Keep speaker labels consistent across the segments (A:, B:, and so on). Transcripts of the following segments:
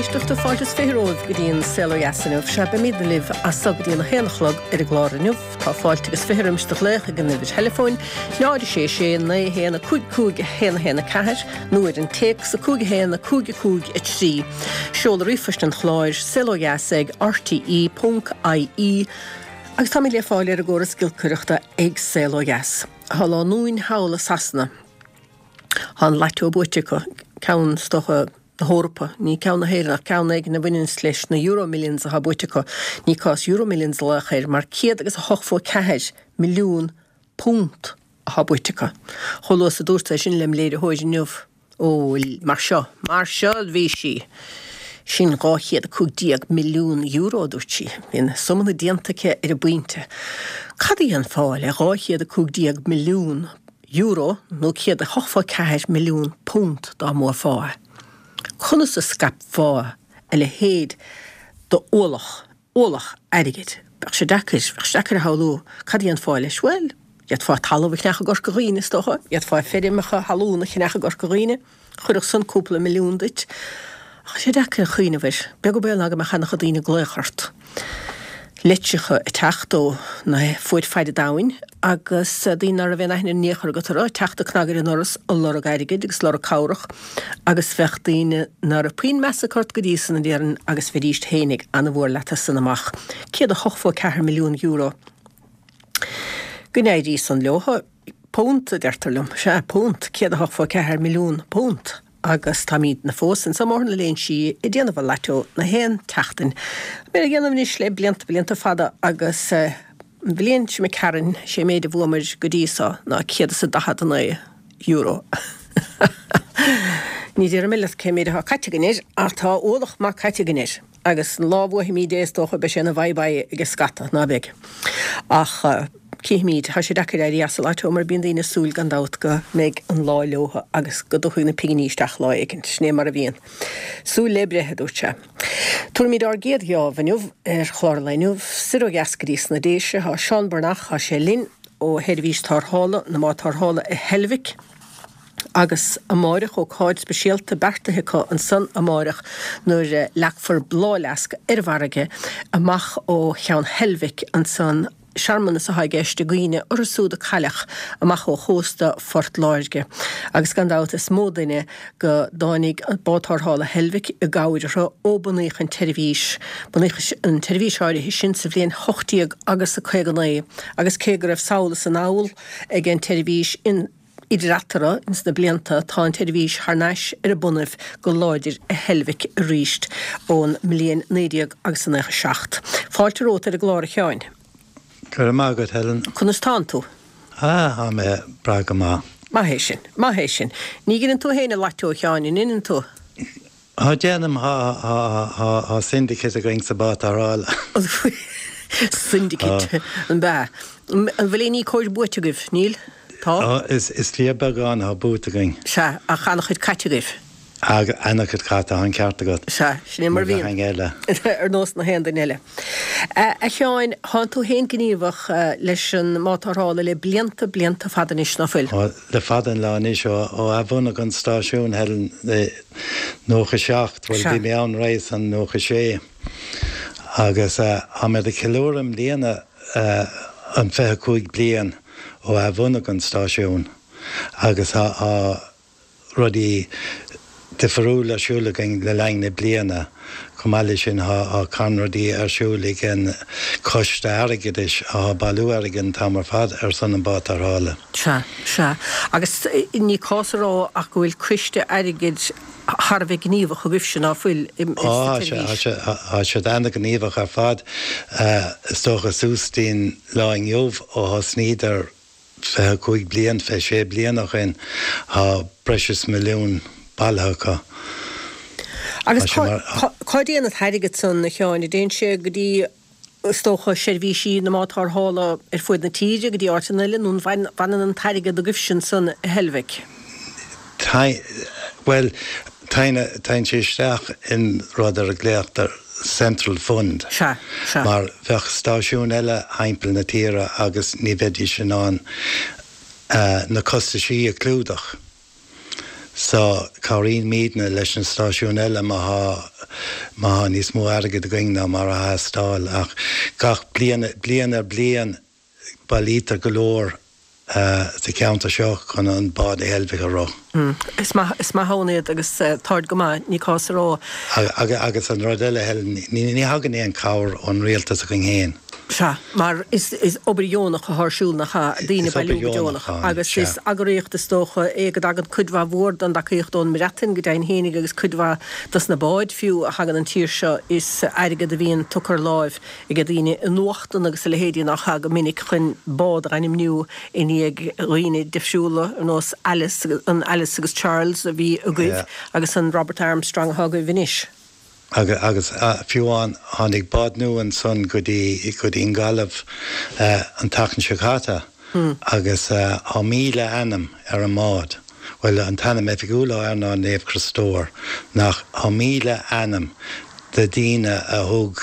A: éisteachta, fáilte is 20 romhaibh go dtí an Saol Ó Dheas inniu. Sea, beimidne libh as so go dtí an 1 a chlog ar an gclár inniu. Tá fáilte agus 20 roimis do ghlaoch ag an uimhir theileafóin, 0 6 6 9 1 5 5 1 1 4, nó ar an téacs, 5 1 5 5 3. Seoladh ríomhphoist an chláir, saolodheas ag rte ponc ie, agus táimid le fáil ar an gcóras giolcaireachta ag Saol Ó Dheas. Tá lánúin thall i Sasana. Tá an lató buaite acu, ceann, is dócha, na hEorpa, ní ceann na hÉireann ach ceann éigin a bhaineanns leis na Euromillions atá buaite acu. Ní cás Euromillions a ghlaoch air mar 184 milliún punt atá buaite acu. Chomh luath is a dúrt é sin lem léiritheoir inniu, ó, mar seo, mar seo a bhí sí! Sin 215 milliún euro, a dúirt sí. Bhí na suimeanna déanta aici ar an bpointe. Cad a dhéanfá le 215 milliún euro nó 184 milliún punt dá mbuafá é? Conas a scaipfeá a leithéid d'ualach, ualach airgid? Bheadh sé deacair, bheadh sé deacair a shamhlú cad a dhéanfá leis. Bhuel, d'fhéadfá talamh a cheannach i gCorca Dhuibhne, is dócha. D'fhéadfá feirmeacha talún a cheannach i gCorca Dhuibhne. Chuirfeadh san cúpla milliún duit. Ach tá sé deacair a chuimhneamh air. Beag an baol ná go mbeadh ana-chuid daoine ag glaoch ort. Litreacha ag teacht ó na fuaid faid an domhain agus daoine ná raibh aon aithne in aon chor agat orthu ag teacht ag cnagadh ar an ndoras ag lorg airgid agus lorg cabhrach agus bheadh daoine ná raibh puinn measa acu ort go dtí san, a déarfainn, agus bheidíst féinig ana-mhór leat as san amach. €184 milliún. Go n-éirí san leotha. Punt, a deirtear liom. Sea, punt. €184 milliún. Agus táimidne fós anso i mBóthar na Léinsí ag déanamh an lató na haon tseachtain. Tá mé á dhéanamh anois le blianta, blianta fada agus an bhliain seo imigh tharainn, sé méid a bhuamair go dtí so ná €149. Ní déarfaidh mé leat cé méid atá caite againn air ach tá ualach maith caite againn air. Agus an lá a bhuafaimíd é is dócha beidh sé ina bye bye ag scata, ná beidh? Ach cífimíd, tá sé deacair éirí as an lató mar bíonn daoine ag súil gan dabht go mbeidh an lá leotha agus go dtiocfaidh na pinginí isteach lá éigin. Sin é mar a bhíonn. Súil le breith, a dúirt sé. Tabharfaimíd ár gcéad gheábh inniu ar chlár an lae inniu, soir ó dheas go dtí sna Déise. Tá Seán Breathnach, tá sé linn ó sheirbhís tarrthála, na mbád tarrthála i Heilbhic. Agus amáireach, ócáid speisialta beartaithe acu ansan amáireach nuair a leagfar bláthfhleasc ar an bhfarraige amach ó Cheann Heilbhic ansan. Searmanas atá i gceist i gcuimhne orthu súd a cailleadh amach ó chósta Phort Láirge. Agus gan dabht is mó duine go dtáinig Bád Tarrthála Heilbhic i gcabhair orthu ó bunaíodh an tseirbhís. Bunaíodh an tseirbhís áirithe sin sa bhliain 18 agus a 59 agus cé go raibh sall is anall ag an tseirbhís in Idir eatarthu ins na blianta tá an tseirbhís thar n-ais ar a bonnaibh go láidir i Heilbhic aríst ón mbliain 19 agus a 97. Fáilte romhat ar an gclár a Sheáin.
B: Go raibh maith agat Helen.
A: Conas tánn tú?
B: Ah, tá mé breá go maith.
A: Maith é sin. Maith é sin. Ní dheineann tú féin an lató a Sheáin, an ndeineann tú?
B: Tá, déanaim, tá syndicate againn sa bád tarrthála.
A: Syndicate, an b'ea? An bhfuil aon íocóir buaite agaibh? Níl? Tá?
B: Is fíorbheagán atá buaite againn.
A: Sea, ach an-chuid caite agaibh.
B: An-chuid caite, tá an ceart agat.
A: Sea, sin é mar a bhíonn.
B: Mar gach éinne eile.
A: Ar nós na haon duine eile. A Sheáin, thánn tú féin gníomhach leis an mbád tarrthála le blianta, blianta fada anois, ná fuil?
B: Le fada an lá anois, ó athbhunaíodh an stáisiún, Helen, i 97, bhuel bhí mé ann roimhe san, 96, agus táimid ag ceiliúradh i mbliana an 25 bliain ó athbhunaíodh an stáisiún agus tá rudaí difriúla ar siúl againn le linn na bliana. Chomh maith leis sin tá carn rudaí ar siúl ag an Coiste Airgeadais atá ag bailiú airgid an t-am ar fad ar son an bád tarrthála.
A: Sea, sea. Agus ní cás a rá ach go bhfuil Coiste Airgid thar a bheith gníomhach agaibhse, ná fuil, sa tseirbhís?
B: Tá siad ana-ghníomhach ar fad. Is dócha suas dtí'n lá inniu ó thosnaíodar 25 bliain, 26 bliain ó shin, tá breis is milliún bailithe acu.
A: Agus cá dtéann an t-airgead san, a Sheáin? An dtéann sé go dtí, is dócha, seirbhísí na mbád tarrthála ar fuaid na tíre, go dtí áiteanna eile, nó an bhfanann an t-airgead agaibhse ansan i Heilbhic?
B: Bhuel, téann sé isteach in rud ar a nglaotar Central Fund.
A: Sea, sea.
B: Mar bheadh stáisiúin eile thimpeall na tíre agus ní bheidís in ann na costaisí a chlúdach. So, cabhraímidne leis na stáisiúin eile má thá. má thá níos mó airgid againn ná mar a theastáil ach gach bliain, bliain ar bliain bailítear go leor sa cheantar seo chun an bád Heilbhic a rith.
A: Is maith, is maith ann iad agus táid go maith, ní cás a rá.
B: Agus an rud eile, Helen, ní thagann aon chabhair ón rialtas againn féin.
A: Sea, mar is obair dheonach atá ar siúl, nach ea? Daoine ag bailiú go deonach. Agus is eagraíocht, is dócha, é go dtagann cuid mhaith mhór den dtacaíocht ón mBreatain go deimhin fhéinig agus cuid mhaith dos na báid fiú a thagann an tír seo is airgead a bhíonn tugtha ar láimh ag daoine i nuachtan agus a leithéidí nach ea go minic chun bád a ainmniú i ndiaidh dhaoine difriúla ar nós Alice, an Alice agus Charles a bhí agaibh agus an Robert Armstrong atá agaibh anois.
B: Agus fiú amháin tháinig bád nua ansan go dtí go dtí an Gaillimh an tseachtain seo caite agus tá 1,000 ainm ar an mbád. Bhuel an t-ainm oifigiúil atá air ná Naomh Criostóir ach tá 1,000 ainm de daoine a thug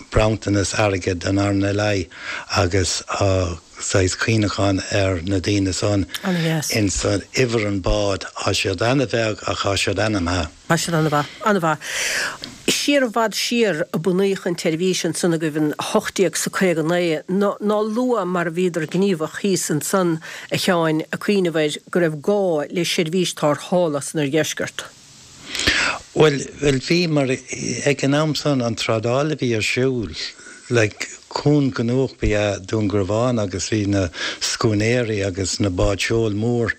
B: bronntanas airgid don RNLI agus tá saghas cuimhneachán ar na daoine san insan uimhir an bád. Tá siad ana-bheag ach tá siad ainmthe.
A: Tá siad an-mhaith, an-mhaith. Siar i bhfad siar a bunaíodh an tseirbhís ansan agaibh in 18 's a 59. Ná luath mar a bhíodar gníomhach thíos ansan, a Sheáin, ag cuimhneamh air go raibh gá le seirbhís tarrthála san oirdheisceart.
B: Bhuel, bhuel bhí, mar ag an am san an trádáil a bhí ar siúl, like, cuan gnóthach ba ea Dún Garbhán agus bhí na scúinéirí agus na báid seoil mór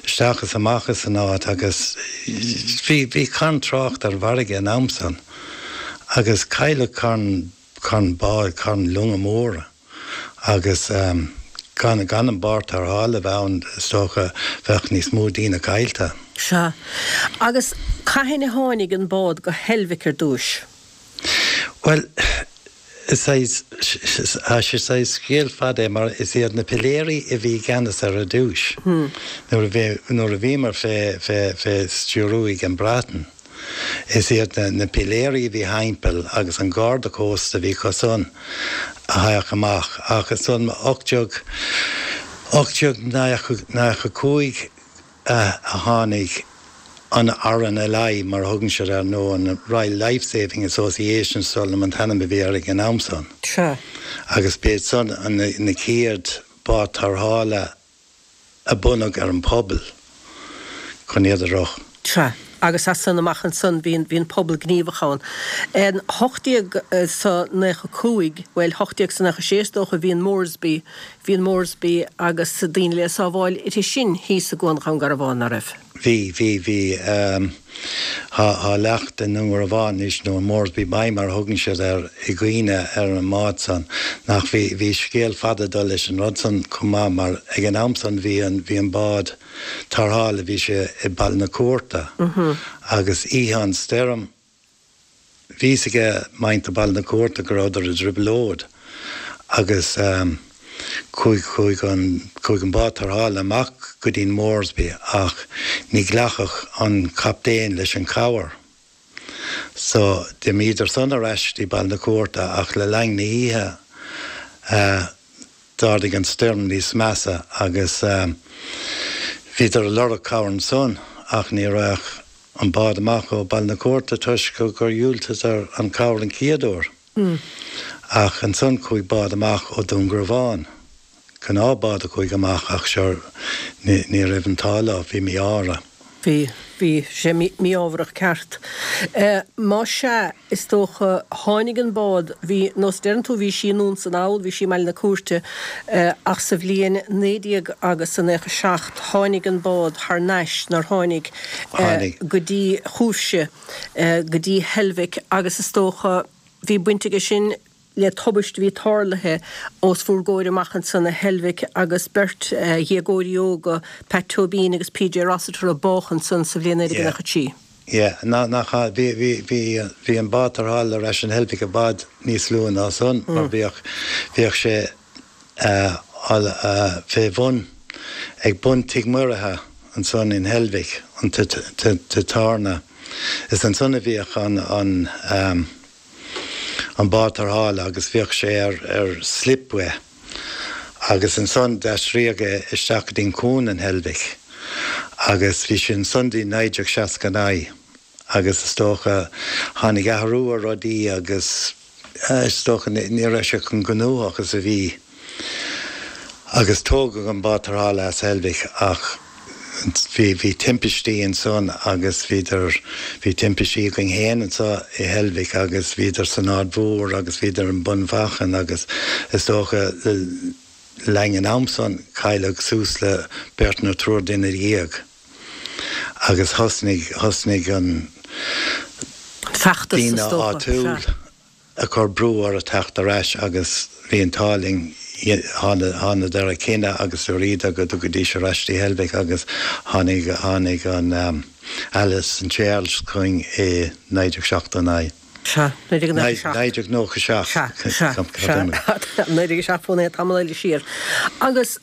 B: isteach is amach as an áit agus bhí, bhí carn trácht ar an bhfarraige an am san agus cailleadh carn, carn báid, carn longa móra agus gan, gan an bád tarrthála a bheith ann is dócha bheadh níos mó daoine caillte.
A: Sea. Agus cathain a tháinig an bád go hEilbhic ar dtúis?
B: Bhuel, is saghas, tá sé saghas scéal fada é mar is iad na piléirí a bhí i gceannas ar ar dtúis nuair a bhí, nuair a bhíomar fé, fé, fé stiúrú ag an Breatain. Is iad na, na piléirí a bhí thimpeall agus an garda cósta a bhí acu san a thagadh amach ach ansan 18, 1895, a tháinig an RNLI, mar a thugann siad air, nó an Royal Life Saving Association, is dóigh liom an t-ainm a bhí air ag an am san.
A: Sea.
B: Agus b'iad san na chéad bád tarrthála a bunaíodh ar an pobal chun iad a rith.
A: Sea. Agus as san amach ansan bhí an, bhí an pobal gníomhach ann. In 1895, bhuel, 1896 is dócha, bhí an Moresby, Bhí an Moresby agus daoine le sábháil uirthi sin thíos i gCuan Dhún Garbhán, ná raibh?
B: Bhí, bhí, bhí. Tá, tá leacht i nDún Garbhán anois, nó an Moresby Bay mar a thugann siad air, i gcuimhne ar an mbád san. Ach bhí, bhí scéal fada ag dul leis an rud san chomh maith mar ag an am san bhí an, bhí an bád tarrthála, bhí sé i Baile na Cúirte agus oíche an stoirm, Bhí fhios aige muintir Baile na Cúirte go rabhadar i dtrioblóid agus chuaigh, chuaigh an, chuaigh an bád tarrthála amach go dtí an Moresby ach ní ghlacfadh an captaen leis an chabhair. So d'imíodar san ar ais dtí Baile na Cúirte ach le linn na hoíche D'ardaigh an stoirm níos measa agus bhíodar ag lorg cabhair ansan ach ní raghadh an bád amach ó Baile na Cúirte toisc gur dhiúltaíodar an cabhair an chéad uair. Ach ansan chuaigh bád amach ó Dún Garbhán. Gnáth bád a chuaigh amach ach sure ní raibh an t-ádh leo, bhí mí-ádh orthu.
A: Bhí, bhí sé mí-ámharach ceart. Más ea, is dócha, tháinig an bád, bhí, nós a deireann tú, bhí sí anonn 's anall, bhí sí i mBaile na Cúirte, ach sa bhliain 19 agus a 97 tháinig an bád thar n-ais, nár tháinig, go dtí chugaibhse, go dtí Heilbhic agus is dócha, bhí baint aige sin le tubaist a bhí tarlaithe os bhur gcomhair amach ansan i Heilbhic agus beirt dhéagóirí óga, Pat Tóibín agus PJ Rossiter a bádh ansan sa bhliain 1993.
B: Yeah, ná, nach ea, bhí, bhí, bhí, bhí an bád tarrthála ar ais in Heilbhic i bhfad níos luath ná san mar bhíodh, bhíodh sé eh, fé bhun, ag bun Tigh Muirithe ansan in Heilbhic, an tigh tábhairne. Is ansan a bhíodh an, an eh, an bád tarrthála agus bhíodh sé ar ar slipway agus ansan d'aistríodh é isteach go dtí'n cuan in Heilbhic agus bhí sé ansan dtí 1969. agus is dócha tháinig athrú ar rudaí agus is dócha ní raibh sé chomh gnóthach is a bhí agus tógadh an bád tarrthála as Heilbhic ach bhí bhí timpistí ansan agus bhíodar bhí timpistí againn féin anso i Heilbhic agus bhíodar san Aird Mhór agus bhíodar i mBun Mhachan agus is dócha le linn an am san cailleadh suas le beirt nó triúr duine dhéag agus thosnaigh thosnaigh an
A: feachtas is
B: daoine
A: dócha,
B: áitiúil
A: sea.
B: ag cur brú orthu teacht ar ais agus bhí an t-ádh linn thánadar ar cinneadh agus dúradar go dtiocfaidís ar ais dtí Heilbhic agus tháinig tháinig an Alice and Charles chugainn i 1979.
A: Sea, 1997.
B: 1997.
A: Sea, sea, sea. 1997 fón é tamall eile siar. Agus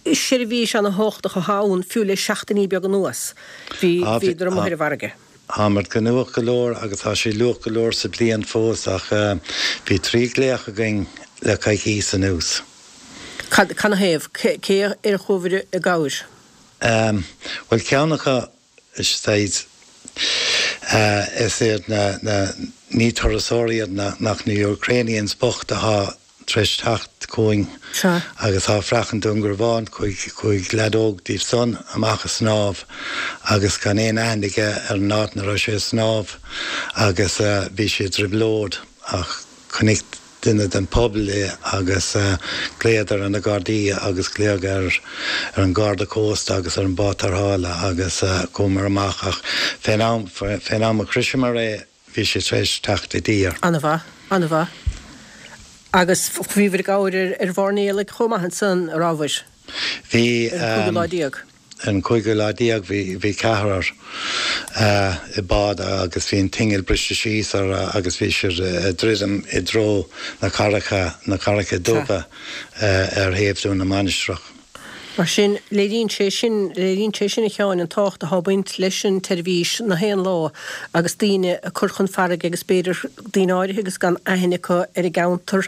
A: seirbhís ana-thábhachtach atá ann fiú le seachtainí beaga anuas. Bhí bhíodar amuigh ar an bhfarraige.
B: Táimid gnóthach go leor agus tá sé luath go leor sa bliain fós ach bhí 3 glaoch againn le coicíos anuas.
A: Cad, canathaobh? Cé ar chuabhair i gcabhair?
B: Bhuel ceann acu saghas is iad na, na, ní turasóirí iad ach na Ukrainians bocht atá tar éis teacht chugainn agus tá fraoch an Dún Garbhán, chuaigh, chuaigh leaid óg díobh san amach a snámh agus gan aon aithne aige ar an áit 'na raibh sé a snámh agus bhí sé i dtrioblóid ach chonaic duine den phobal é agus ghlaodar ar na Gardaí agus glaodh ar ar an Gharda Cósta agus ar an bád tarrthála agus chuamar amach ach fén am, fén am a shroiseamar é Bhí sé tar éis teacht i dtír.
A: An-mhaith, an-mhaith. Agus bhíobhair i gcabhair ar mhairnéalaigh chomh maith ansan, a rabhabhair?
B: Bhí.
A: Ar an cúigiú lá déag.
B: Ar an cúigiú lá déag bhí, bhí ceathrar i bád agus bhí an t-inneall briste síos orthu agus bhí siad ag druidim i dtreo na Carraice, na Carraice Dubha ar thaobh Dún na Mainistreach.
A: Mar sin, léiríonn sé sin, léiríonn sé sin, a Sheáin, an tábhacht atá ag baint leis an tseirbhís na haon lá agus daoine a cur chun farraige agus b'fhéidir daoine áirithe agus gan aithne acu ar an gceantar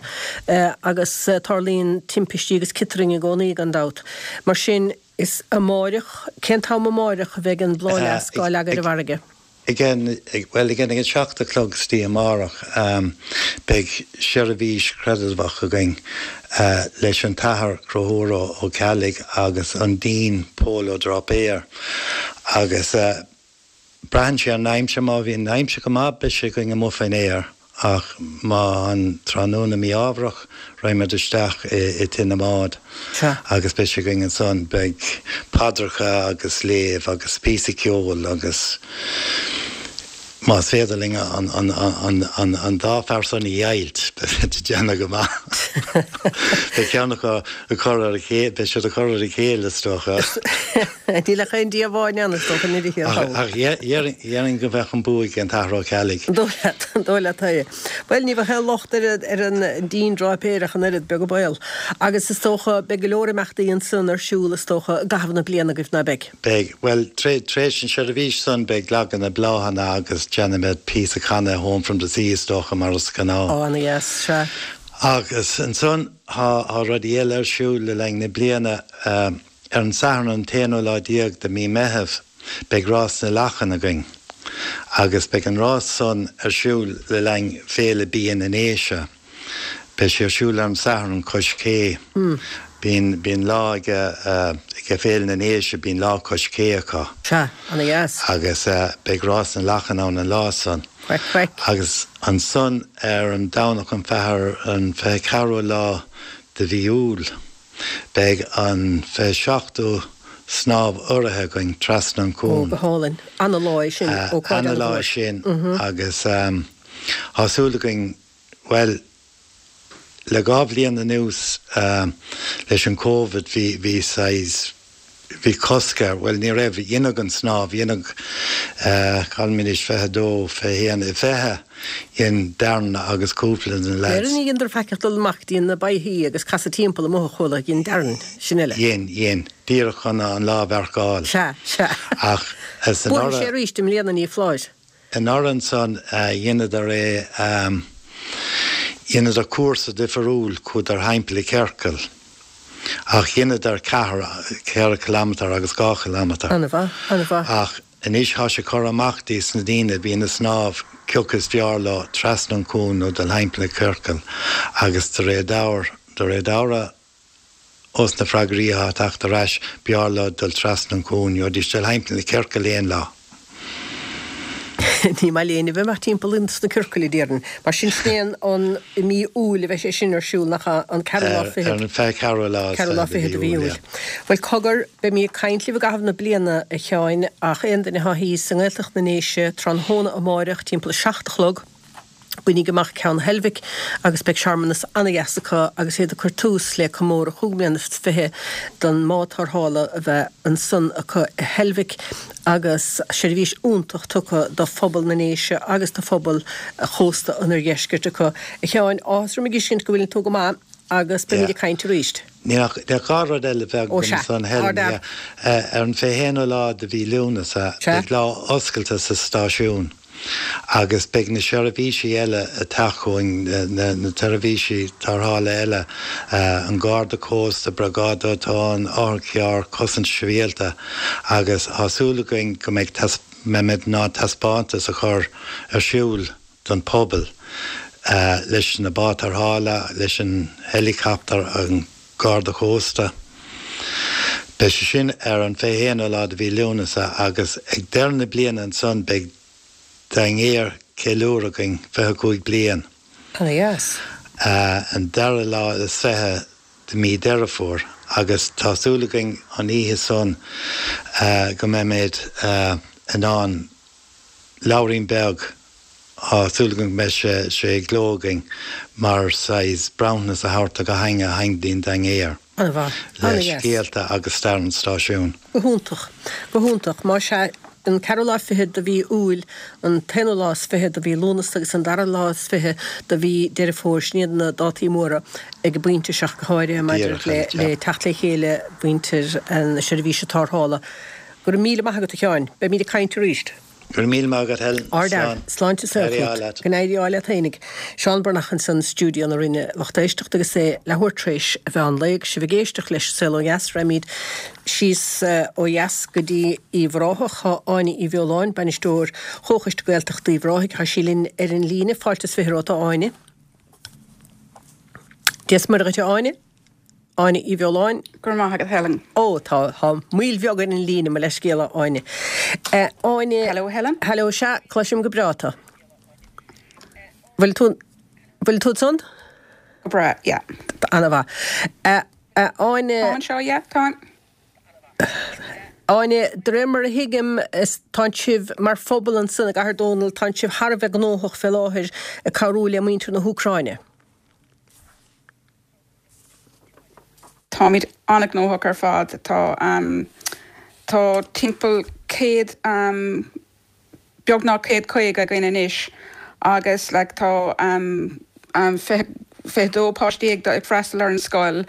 A: agus tarlaíonn timpistí agus ciotrainn i gcónaí gan dabht. Mar sin, is amáireach, cén t-am amáireach a bheidh an bláthfhleasc á leagadh ar an bhfarraige?
B: Ag an, bhuel, ag an, ag an seacht a chlog istoíche amárach, beidh seirbhís chreidmheach againn leis an tAthair Conchúr Ó Ceallaigh agus an Dean Pól Ó Dráipéir agus braitheann sé ar an aimsir, má bhíonn an aimsir go maith beidh sé againn amuigh faoin aer. Ach má tá an tráthnóna mí-ámharach, raghaimid isteach i Tigh na mBád agus beidh sé againn ansan. Beidh paidreacha agus léamh agus píosa ceoil agus más féidir linn an dá fear san a dheighilt, beidh siad ag déanamh go maith. Beidh ceann acu ag cur ar a chéile, beidh siad ag cur ar a chéile is dócha.
A: Níl ach aon Dia amháin ann, is dócha, ní thiar thall.
B: Ach dhéarfainn go mbeadh an bua ag an tAthair Ó Ceallaigh.
A: An dóigh leat, an dóigh leat é. Bhuel, ní bheadh aon locht ar an Dean Dráipéir ach an oiread, beag an baol. Agus is dócha, beidh go leor imeachtaí ansan ar siúl, is dócha, i gcaitheamh na bliana agaibh, ná beidh?
B: Beidh. Bhuel, tar éis an seirbhís san, beidh leagadh na bláthanna agus déanfaimid píosa canadh Home from the Sea, is dócha, mar is gnáth.
A: Ó, ana-dheas, sea.
B: Agus ansan, tá rudaí eile ar siúl le linn na bliana. Ar an Satharn an t-aonú lá déag de mí Meitheamh beidh Rás na Lachan againn agus beidh an rás san ar siúl le linn Féile Bia na nDéise. Beidh sé ar siúl ar an Satharn cois cé. Bíonn, bíonn lá ag, ag Féile na nDéise, bíonn lá cois cé acu.
A: Sea, ana dheas.
B: Agus beidh Rás na Lachan ann an lá san.
A: Craic, craic.
B: Agus ansan ar an Domhnach an fiche, an 24ú lá de mhí Iúil. Beidh an 27ú snámh urraithe againn trasna an
A: Ó,
B: cuan.
A: go hálainn. Ana lá é sin, ócáid
B: Ana lá
A: ana-mhór.
B: é sin agus tá súil againn, bhuel, le dhá bhliain anuas leis an Covid bhí, bhí saghas, bhí cosc air, bhuel ní raibh, dheineadh an snámh, dheineadh, cá bhfuil mé anois, 22, 21, 20, dhein Darren agus cúpla de na
A: Dhein,
B: lads.
A: dheineadar faic ach dul amach go dtí na boichí agus casadh timpeall amuigh a chuala, dhein Darren, sin eile.
B: Dhein, dhein, díreach chun an lá a mharcáil.
A: Sea, sea.
B: Ach
A: is Buailfidh sé arís i mbliana, ní foláir.
B: Anuraidh ansan dheineadar é, dheineadar cúrsa difiriúil, chuadar thimpeall i ciorcal, ach dheineadar ceathair, ceithre chileamatar agus dhá chileamatar.
A: Ana-mhaith, ana-mhaith.
B: Ach. Anois thá sé curtha amach dios na daoine a bhíonn a' snámh cioca is feárr leo trasna an cuan nó dul thimpeall na ciorcal agus de réir deabhair, de réir dealraimh ós na freagraí athá a' teacht ar ais, b'fheárr leo dul trasna an cuan, gheobhaidís dul thimpeall na ciorcal aon lá.
A: Ní maith léinn a bheith amach timpeall ins na ciorcail, a déarfainn. Mar sin, sin é an, i mí Iúil a bheidh sé sin ar siúl, nach ea? An ceathrú lá fichead.
B: Ar an 24ú lá is
A: fiche de mhí Iúil. Bhuel, cogar, beimid ag caint libh i gcaitheamh na bliana, a Sheáin, ach aon duine atá thíos i nGaeltacht na nDéise tráthnóna amáireach timpeall a 7 a chlog, Bainigí amach Ceann Heilbhic agus beidh searmanas ana-dheas acu agus iad ag cur tús le comóradh chúig mbliana is 20 don mbád tarrthála a bheith ansan acu i Heilbhic agus seirbhís iontach tugtha do phobal na nDéise agus do phobal chósta an oirdheiscirt acu. A Sheáin, áthas orm a dh'fheiscint go bhfuileann tú go maith agus beimid ag caint arís.
B: Níl ach dhá rud eile bheag
A: Ó sea.
B: ansan Helen,
A: Ard-fhear.
B: Ar an 21ú lá de mhí Lúnasa
A: Sea.
B: beidh lá oscailte sa stáisiún. Agus beidh na seirbhísí eile ag teacht chugainn, na seirbhísí tarrthála eile, an Garda Cósta, Briogáid Dóiteáin, Otharcharr, Cosaint Sibhialta agus tá súil againn go mbeidh, mbeimid in ann taispeántas a chur ar siúl don phobal leis na báid tarrthála, leis an helicopter, an Garda Cósta. Beidh sé sin ar an 21ú lá de mhí Lúnasa agus ag deireadh na bliana ansan beidh dinnéar ceiliúradh againn, 25 bliain.
A: Ana-dheas.
B: An dara lá is 20 de mí Deireadh Fómhair agus tá súil againn an oíche san go mbeimid in ann leabhairín beag Tá súil agam go mbeidh sé i gcló againn mar saghas bronntanas a thabhairt do gach éinne a thagann dtí'n dinnéar
A: An-mhaith.
B: le
A: An-dheas.
B: scéalta agus stair an stáisiúin.
A: Go hiontach. Go hiontach. Más ea, an ceathrú lá fichead de mhí Iúil, an t-aonú lá is fiche de mhí Lúnasa agus an dara lá is fiche de mhí Deireadh Fómhair, sin iad na dátaí móra ag an bpointe seo go háirithe maidir
B: Díreach,
A: le
B: yeah.
A: le teacht le chéile mhuintir na seirbhíse tarrthála. Go raibh míle maith agat a Sheáin. Beimid ag caint arís.
B: Go raibh míle maith agat Helen.
A: Ardfhear.
B: Slán.
A: Sláinte is saol
B: Éirí
A: chugat.
B: ádh leat.
A: Go n-éirí ádh leat fhéinig. Seán Breathnach ansan i stiúideo na Rinne lucht éisteachta agus é leathuair tar éis an mheán lae agus sibh ag éisteacht leis An Saol Ó Dheas raghaimid síos ó dheas go dtí Uíbh Ráthach. Tá Áine Uí Bheoláin, Bainisteoir Chomhchoiste Gaeltachta Uíbh Ráthaigh, tá sí linn ar an líne. Fáilte is fiche romhat a Áine. Dia is Muire dhuit a Áine. Áine Uí Bheoláin.
C: Go raibh maith agat Helen.
A: Ó, tá, tá moill bheag ar an líne, mo leithscéal a Áine. Áine.
C: Hello Helen.
A: Hello, sea, cloisim go breá tú. Bhfuil tú, bhfuil tú ansan?
C: Go breá, yeah.
A: Ana-mhaith. Áine.
C: Tá anseo, yeah, táim.
A: Áine, de réir mar a thuigim, tánn sibh mar phobal ansan i gCathair Dónall, tánn sibh thar a bheith gnóthach fé láthair ag cabhrú le muintir na hÚcráine.
C: Táimid an-ghnóthach ar fad. Tá tá timpeall 100 beagnach 150 againn anois agus like tá 22 páistí ag ag freastal ar an scoil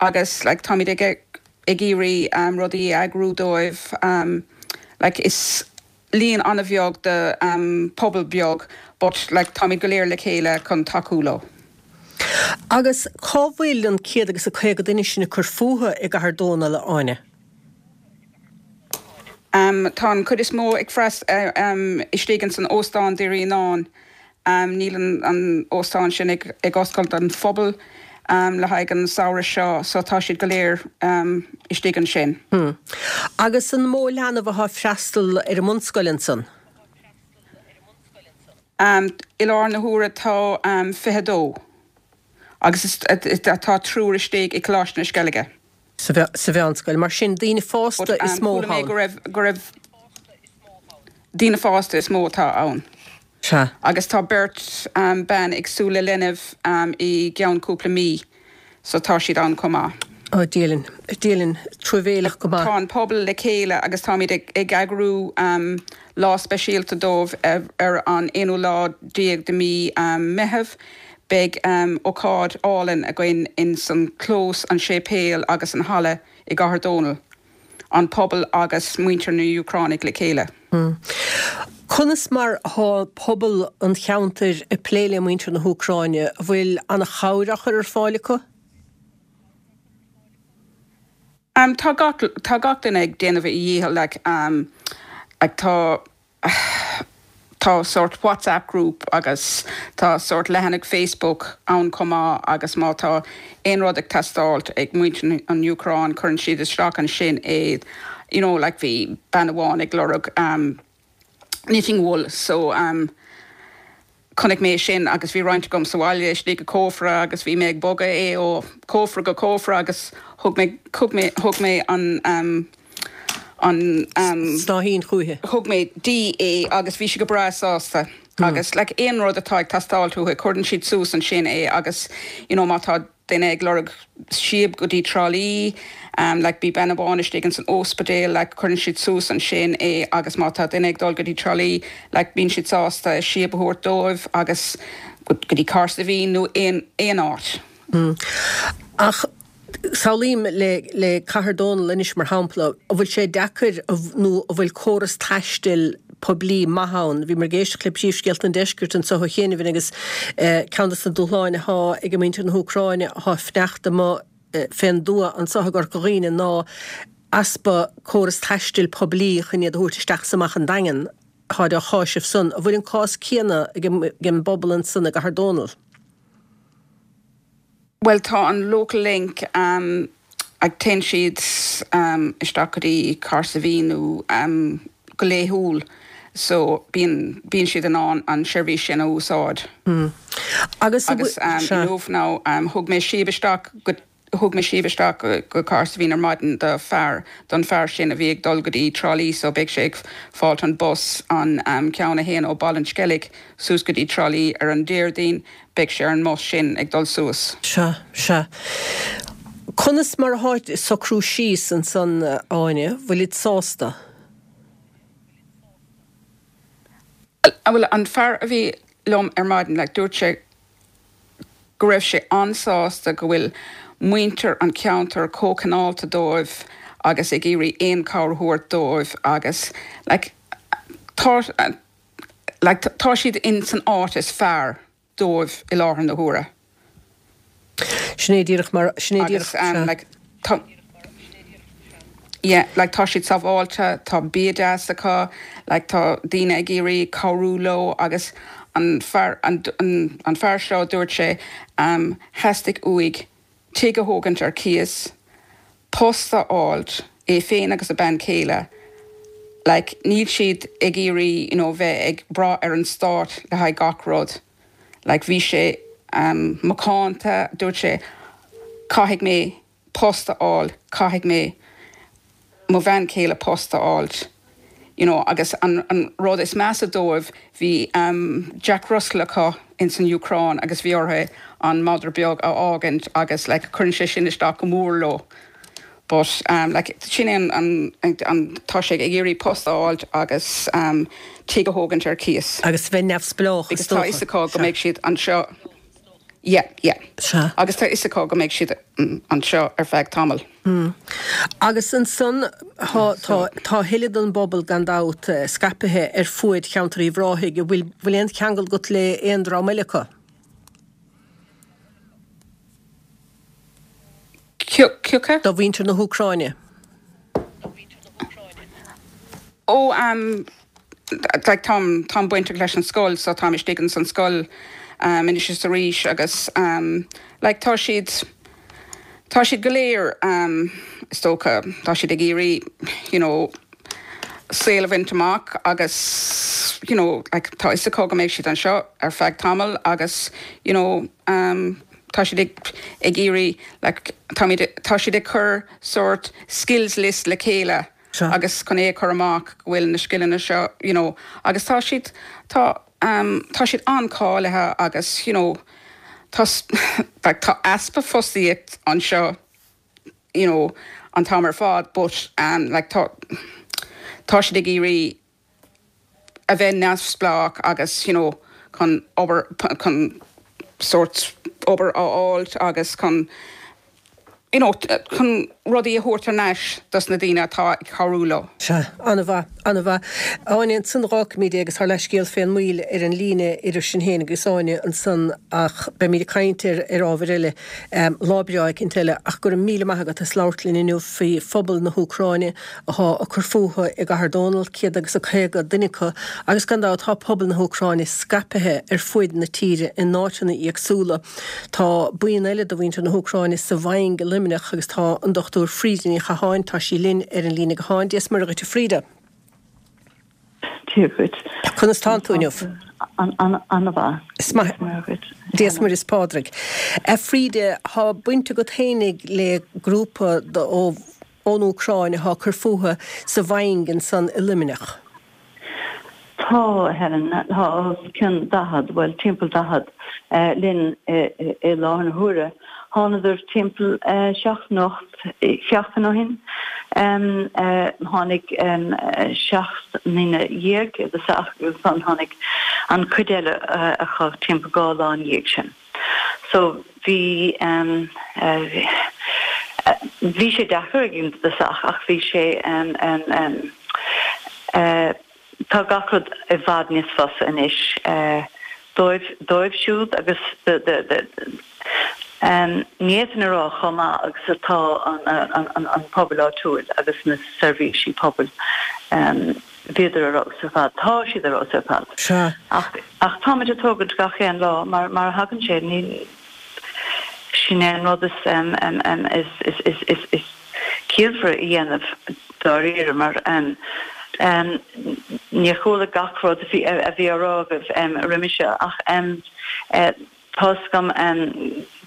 C: agus like táimid ag ag iarraidh rudaí a eagrú dóibh like is líon an-bheag de pobal beag but like táimid go léir le chéile chun tacú leo.
A: Agus cá bhfuil an céad agus a 50 duine sin ag cur fúthu i gCathair Dónall, a Áine?
C: Tá an chuid is mó ag freas istigh ins an óstán Derrynane. Níl an óstán sin ag oscailt don phobal le haghaidh an samhradh seo so tá siad go léir istigh ansin.
A: Agus an mó leanbh atá ag freastal ar an mbunscoil ansan?
C: I láthair na huaire tá 22 agus tá triúr istigh i Coláiste na Sceilge.
A: Sa mheánscoil. Mar sin, daoine fásta is mó
C: Chuala mé
A: ann.
C: go raibh, go raibh daoine fásta is mó atá ann.
A: Sea.
C: Agus tá beirt bean ag súil le leanbh i gceann cúpla mí so tá siad ann chomh maith.
A: Ó, Dia linn, Dia linn, truamhéileach go maith.
C: Tá an pobal le chéile agus táimid ag eagrú lá speisialta dóibh ar an aonú lá déag de mí Meitheamh. Beidh ócáid álainn againn ins an clós, an séipéal agus an halla i gCathair Dónall. An pobal agus muintir na Úcránaigh le chéile.
A: Conas mar atá pobal an cheantair ag plé le muintir na hÚcráine? An bhfuil an-chabhair á chur ar fáil acu?
C: Tá gach, tá gach duine ag déanamh a dhícheall like. Like tá tá sórt WhatsApp group agus tá sórt leathanach Facebook ann chomh maith agus má tá aon rud ag teastáilt ag muintir an Úcráin cuireann siad isteach ansin é you know like bhí bean amháin ag lorg um knitting wool so um Chonaic mé sin agus bhí roinnt agam sa bhaile istigh i cófra agus bhí mé ag bogadh é ó chófra go cófra agus thug mé, thug mé, thug mé an ehm, an ehm.
A: Snáithín chúichi.
C: Thug mé di é agus bhí sí go breá sásta agus like aon rud atá ag teastáilt uathu cuireann siad suas ansin é agus you know má tá duine ag lorg síob go dtí Trá Lí, like bhí bean amháin istigh ins an óspidéal, like cuireann siad suas ansin é agus má tá duine ag dul go dtí Trá Lí, like bíonn siad sásta síob a thabhairt dóibh agus go dtí Cahersiveen nó aon, aon áit.
A: Ach samhlaím le, le Cathair Dónall anois mar shampla, an bhfuil sé deacair nó an bhfuil córas taistil poiblí maith ann. Bhíomar ag éisteacht le príomhscéalta an deiscirt anseo ó chianaibh agus ceann de na dúshláin atá ag muintir na hÚcráine atá ag fanacht amuigh fén dtuath anseo i gCorca Dhuibhne ná easpa córas taistil poiblí chun iad a thabhairt isteach is amach an Daingean. Táid á cháiseamh san. An bhfuil an cás céanna ag an bpobal ansan i gCathair Dónall?
C: Bhuel tá an Local Link ag téann siad isteach go dtí Cahersiveen nó go laethúil so bíonn bíonn siad in ann an seirbhís sin a úsáid.
A: Agus
C: Agus inniu now thug mé síob isteach go thug mé síob isteach go go Cahersiveen ar maidin do fear don fear sin a bhí ag dul go dtí Trá Lí so beidh sé ag fáilt an bus an ceann a théann ó Baile an Sceilg suas go dtí Trá Lí ar an Déardaoin Beidh sé ar an mbus sin ag dul suas.
A: Sea, sea. Conas mar athá ag socrú síos ansan, a Áine? Bhfuilid sásta?
C: Bhuel, an fear a bhí liom ar maidin, like, dúirt sé go raibh sé an-sásta go bhfuil muintir an cheantair chomh cineálta dóibh agus ag iarraidh aon chabhair a thabhairt dóibh agus, like, tá, like tá siad in san áit is fearr dóibh i láthair na huaire.
A: Sin é díreach mar, sin é díreach,
C: Agus sea. like tá, yeah, like tá siad sábháilte, tá bia deas acu, like tá daoine ag iarraidh cabhrú leo agus an fear, an, an, an fear seo dúirt sé um theastaigh uaidh tigh a thógaint ar cíos, post a fháilt, é féin agus a bean chéile, like níl siad ag iarraidh you know bheith ag brath ar an stát le haghaidh gach rud, like bhí sé um macánta, dúirt sé caithfidh mé post a fháil, caithfidh mé mo bhean chéile post a fháilt you know agus an an rud is measa dóibh bhí um Jack Russell acu ins an Úcráin agus bhí orthu an madra beag a fhágaint agus like cuireann sé sin isteach go mór leo but um like sin é an an an tá sé ag iarraidh post a fháilt agus um tigh a thógaint ar cíos.
A: Agus bheith neamhspleách is
C: Because tá
A: dócha.
C: fhios acu go mbeidh siad anseo Yeah, yeah.
A: Sea.
C: Agus tá fhios acu go mbeidh siad anseo ar feadh tamaill.
A: Agus ansan tá, tá, tá a thuilleadh den bpobal gan dabht scaipithe ar fuaid cheantar Uíbh Ráthaigh. An bhfuil, bhfuil aon cheangal agat le aon dream eile acu?
C: Cé acu?
A: De mhuintir na hÚcráine.
C: Ó, like táim, táim bainteach leis an scoil so táim istigh ins an scoil anois is arís agus like tá siad, tá siad go léir is dócha, tá siad ag iarraidh you know saol a bhaint amach agus you know like tá fhios acu go mbeidh siad anseo ar feadh tamaill agus you know tá siad ag, ag iarraidh like táimid, tá siad ag cur sórt skills list le chéile agus chun é a chur amach go bhfuil na scileanna seo you know agus tá siad tá um tá siad an-cháilithe agus you know tá like tá easpa fostaíocht anseo you know an t-am ar fad but um like tá tá siad ag iarraidh a bheith neamhspleách agus you know chun obair chun sórt obair a fháilt agus chun you know chun. rudaí a thabhairt thar n-ais dos na daoine atá ag cabhrú leo.
A: Sea, an-mhaith, an-mhaith. Áine, ansan dh'fhágfaimid é agus ár leathscéal fén moill ar an líne idir sinn féin agus Áine ansan ach beimid ag caint ar ar ábhair eile lá breá eicínt eile ach go raibh míle maith agat as labhairt linn inniu faoi phobal na hÚcráine athá ag cur fúthu i gCathair Dónall, 150 duine acu agus gan dabht tá pobal na hÚcráine scaipithe ar fuaid na tíre in áiteanna éagsúla. Tá buíon eile de mhuintir na hÚcráine sa Mhaing i Luimneach agus tá an Dr Frida Ní Chatháin, tá sí linn ar an líne gutháin. Dia is Muire dhuit a Frida.
D: Dia dhuit.
A: Conas tánn tú inniu?
D: An-mhaith.
A: Is maith. Dia is Muire is Pádraig. A Frida, tá baint agat fhéinig le grúpa ón Úcráin atá ag cur fúthu sa Mhaing ansan i Luimneach.
D: Tá, a Helen, tá os cionn 40, bhuel, timpeall 40, linn i láthair na huaire. Thánadar timpeall seachtain, 8 seachtain ó shin. Tháinig 17 nduine i dtosach agus ansan tháinig an chuid eile acu timpeall 2 lá ina dhiaidh sin. So bhí, bhí sé deacair ag an dtosach ach bhí sé, tá gach rud i bhfad níos fusa anois dóibh, dóibh siúd agus do, do, do, ní fhéadfainn a rá chomh maith agus atá an, an, an pobal áitiúil agus na seirbhísí pobail. Bhíodar ar fheabhas ar fad. Tá siad ar fheabhas ar fad.
A: Sea.
D: Ach, ach táimid ag tógaint gach aon lá mar, mar a thagann sé. Ní, sin é an rud is, is, is, is, is, is ciallmhaire a dhéanamh dáiríre mar, níor chuala gach rud a bhí, a bhí á rá agaibh roimhe seo ach, Tá's agam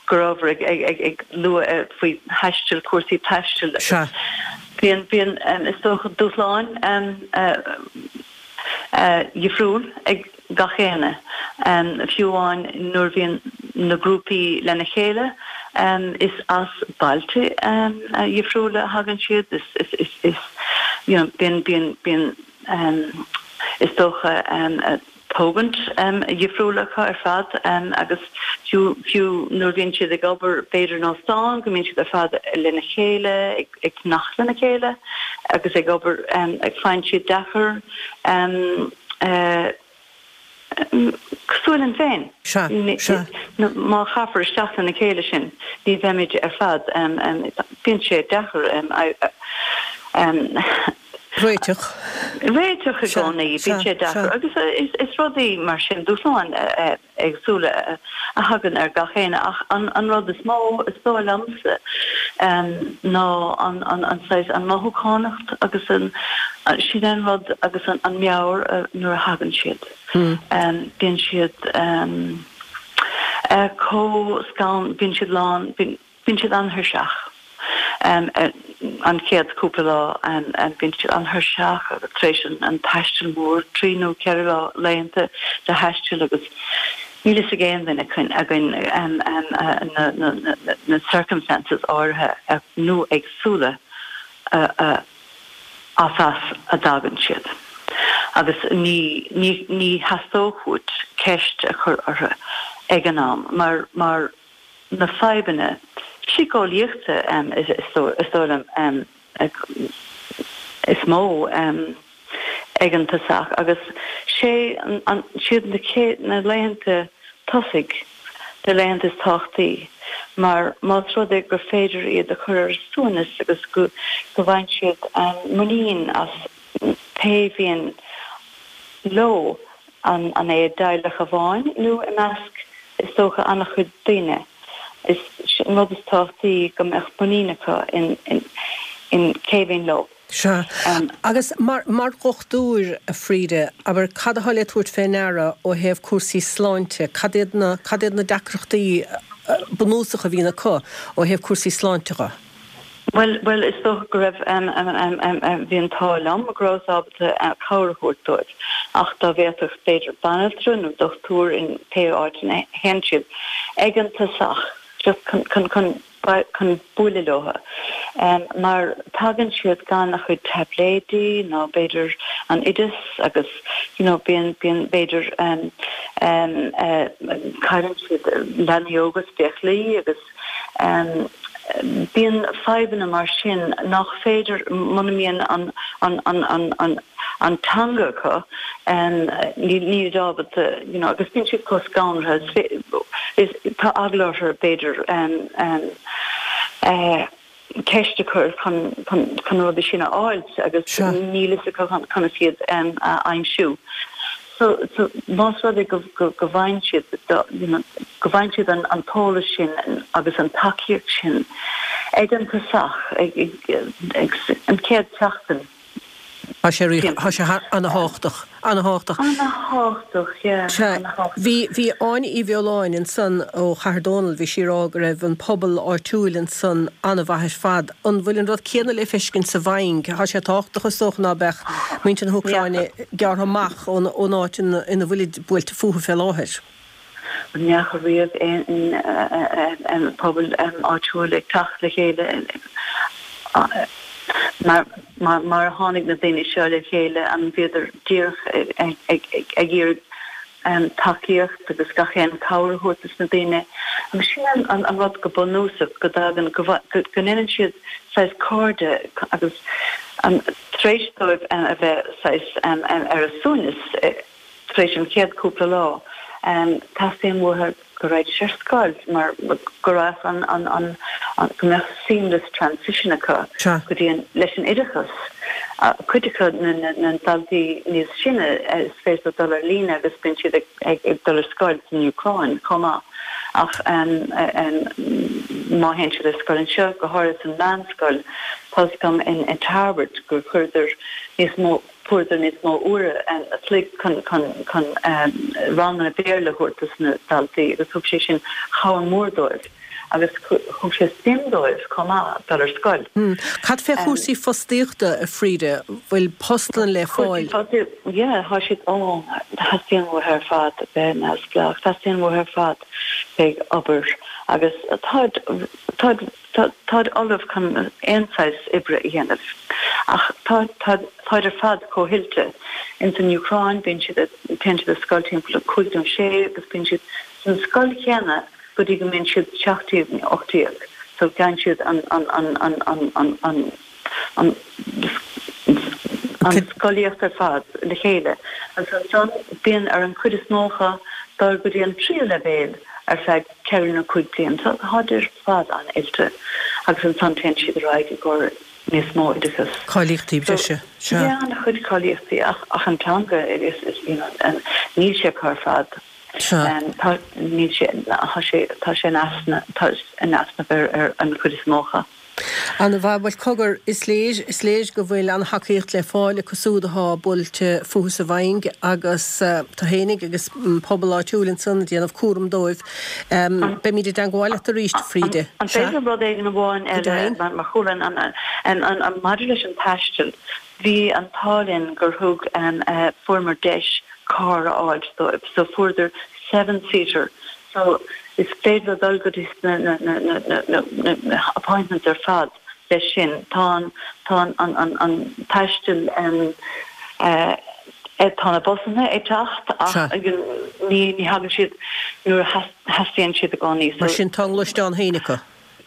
D: go rabhabhair ag lua faoi thaisteal, cúrsaí taistil.
A: Sea.
D: Bíonn, bíonn, is dócha, dúshláin dhifriúil ag gach éinne. Fiú amháin nuair a bhíonn na grúpaí lena chéile, is as bailte dhifriúla a thagann siad, is, is, is, you know, bíonn, bíonn, bíonn, is dócha, tógaint dhifriúil acu ar fad agus fiú fiú nuair a bhíonn siad ag obair b'fhéidir in óstán go mbíonn siad ar fad lena chéile ag fanacht lena chéile agus ag obair faigheann siad deacair cosúil linn féin.
A: Sea, sea.
D: Má chaithfear isteach lena chéile sinn ní bheimid ar fad bíonn sé deacair.
A: Réiteach.
D: Réiteach i gcónaí, bíonn sé deacair agus is rudaí mar sin, dúshláin éagsúla a thagann ar gach éinne ach an rud is mó, is dóigh liomsa, ná an saghas, an mothúchánacht agus an, sin an rud agus an meabhair nuair a thagann siad. Bíonn siad chomh scanraithe, bíonn siad lán, Bíonn siad an-tuirseach an chéad cúpla lá, bíonn siad an-tuirseach agus tar éis an taistil mór, 3 nó 4 lá, laethanta de thaisteal agus níl fhios ag aon duine againn na circumstances áirithe nó éagsúla as as a dtagann siad agus ní ní theastódh uait ceist a chur orthu ag an am mar mar na fadhbanna síceolaíochta is dóigh liom is mó ag an tosach agus sé siad na chéad na laethanta tosaigh na laethanta is tábhachtaí mar más rud é gur féidir iad a chur ar a suaimhneas agus go bhfaigheann siad muinín as pé bhíonn leo An é i dteaghlach amháin nó i measc, is dócha, an-chuid daoine? Is an rud is tábhachtaí go mbeadh muinín acu in cé bhíonn leo.
A: Sea. Agus mar dhochtúir, a Frida, abair, cad atá le tabhairt fé ndeara ó thaobh cúrsaí sláinte? Cad iad na, cad iad na deacrachtaí bunúsacha a bhíonn acu ó thaobh cúrsaí sláinte dhe?
D: Bhuel, bhuel, is dócha go raibh, bhí an t-ádh liom go rabhas ábalta cabhair a thabhairt dóibh ach dá bhféadfadh b'fhéidir banaltra nó dochtúir in pé áit ina théann siad ag an tosach just chun, chun, chun, chun bualadh leo mar tagann siad gan a chuid taibléidí ná b'fhéidir an oideas agus you know bíonn, bíonn b'fhéidir cailleann siad leanaí óga sa bhfiaclaí agus. Bíonn fadhbanna mar sin nach féidir, muna mbíonn an an an an an an teanga acu, níl siad ábalta, you know, agus bíonn siad chomh scanraithe, is tá eagla orthu b'fhéidir ceist a chur chun chun chun na rudaí sin a fháilt agus níl fhios acu conas iad a aimsiú. So, so, más rud é go, go, go bhfaigheann siad, you know, go bhfaigheann siad an, an t-eolas sin agus an tacaíocht sin ag an tosach, ag, ag, ag an chéad tseachtain.
A: Tá sé rí, tá sé ana-thábhachtach, ana-thábhachtach.
D: Ana-thábhachtach, yeah,
A: Sea,
D: ana-thábhachtach.
A: bhí, bhí Áine Uí Bheoláin ansan ó Chathair Dónall, bhí sí ag rá go raibh an pobal áitiúil ansan an-mhaith ar fad. An bhfuil an rud céanna le feiscint sa Mhaing? Tá sé tábhachtach is dócha ná beadh muintir na hÚcráine gearrtha amach ón áit ina bhfuilid buailte fúthu fé láthair.
D: Ní fhaca riamh aon pobal áitiúil ag teacht le chéile mar a tháinig na daoine seo le chéile, an bhíodar díreach ag iarraidh tacaíocht agus gach aon cabhair a thabhairt dos na daoine. Agus sin an rud go bunúsach, go dtagann, go ndéanann siad saghas cairde agus tar éis dóibh a bheith saghas ar a suaimhneas tar éis an chéad cúpla lá, teastaíonn uathu go raghaidís ar scoil mar go raibh an, an, an, go mbeadh seamless transition acu go dtí an, leis an oideachas. Cuid acu, na, na, na daltaí níos sine, is féidir leo dul ar líne agus bíonn siad ag, ag, ag dul ar scoil san Úcráin chomh maith. Ach má théann siad ar scoil anseo, go háirithe san meánscoil, tá 'fhios agam in, in Tarbert gur chuireadar níos mó, fuaireadar níos mó uaire an chloig chun chun ranganna Béarla a thabhairt dos na daltaí agus thug sé sin cabhair mhór dóibh agus thug sé suim dóibh chomh maith dul ar scoil.
A: Cad fé chúrsaí fostaíochta, a Frida? Bhfuil postanna le fáil?
D: Yeah, tá siad, ó, teastaíonn uathu ar fad bheith neamhspleách, teastaíonn uathu ar fad bheith ag obair agus táid, táid, Táid ullamh chun aon saghas oibre a dhéanamh. Ach tá, tá, táid ar fad chomh hoilte. Ins an Úcráin bíonn siad, téann siad ar scoil timpeall a cúig nó sé agus bíonn siad san scoil chéanna go dtí go mbíonn siad 17 nó 18. So faigheann siad an, an, an, an, an, an, an, an, an scolaíocht ar fad le chéile. Agus ansan bíonn ar an chuid is mó acu dul go dtí an tríú leibhéal ar feadh ceithre nó cúig bliana. So táid ar fad an-oilte agus ansan téann siad ar aghaidh i gcomhair níos mó oideachas.
A: Cáilíochtaí breise,
D: sea. Yeah, an-chuid cáilíochtaí ach ach an teanga is, is, you know, níl sé acu ar fad.
A: Sea.
D: Tá, níl sé, tá sé, tá sé in easnamh, tá in easnamh ar ar an chuid is mó acu.
A: Ana-mhaith. Bhuel, cogar, is léir, is léir go bhfuil an-thacaíocht le fáil acu súd athá buailte fúthu sa Mhaing agus tú fhéinig agus an pobal áitiúil ansan ag déanamh cúram dóibh. Beimid i dteangmháil leat arís, a Frida.
D: An féidir liom rud éigin amháin eile, mar chuala an, maidir leis an taisteal, bhí an t-ádh linn gur thug, fuaireamar deis carr a fháilt dóibh, so fuaireadar seven seater So, is féidir leo dul go dtí na, na, na, na, na, na, na, na appointments ar fad leis sin. Tá an, tá an, an, an, an taisteal, em, eh, tá na busanna ag teacht ach
A: Sea.
D: ní, ní thagann siad nuair a theastaíonn siad i gcónaí.
A: Mar sin tá a ngluaisteán féin acu.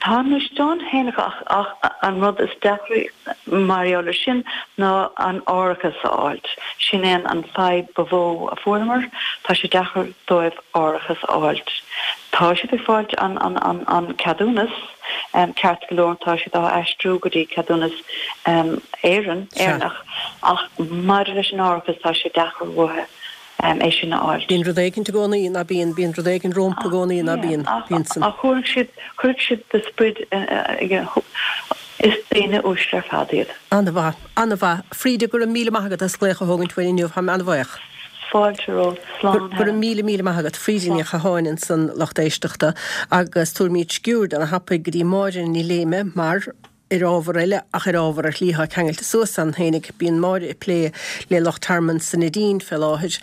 D: Tá a ngluaisteán féin acu ach ach an rud is deacra mar gheall ar sin ná an árachas a fháilt. Sin é an fadhb ba mhó a fuaireamar, tá sé deacair dóibh árachas a fháilt. Tá siad ag fáilt an an an an ceadúnas ceart go leor, tá siad á aistriú go dtí ceadúnas Éireann, Éireannach ach maidir leis an árachas tá sé deacair uathu. é sin a fháilt.
A: Bíonn rud éigint i gcónaí, ná bíonn? Bíonn rud éigin rompu i gcónaí, ná bíonn? Bíonn
D: san. Ach chuirfeadh siad, chuirfeadh siad de sprid, is daoine uaisle ar fad iad.
A: An-mhaith, an-mhaith. Frida, go raibh míle maith agat as glaoch a thógaint uainn inniu, táim an-bhaoch.
D: Fáilte romhat, slán
A: Go raibh míle, míle maith agat. Frida Ní Chatháin ansan, lucht éisteachta, agus tabharfaimid sciuird ana-thapaidh go dtí Máire Ní Léime mar. Ar ábhar eile, ach ar ábhar ar shlí atá ceangailte suas ann fhéinig, bíonn Máire ag plé le lucht tearmainn san Neidín fé láthair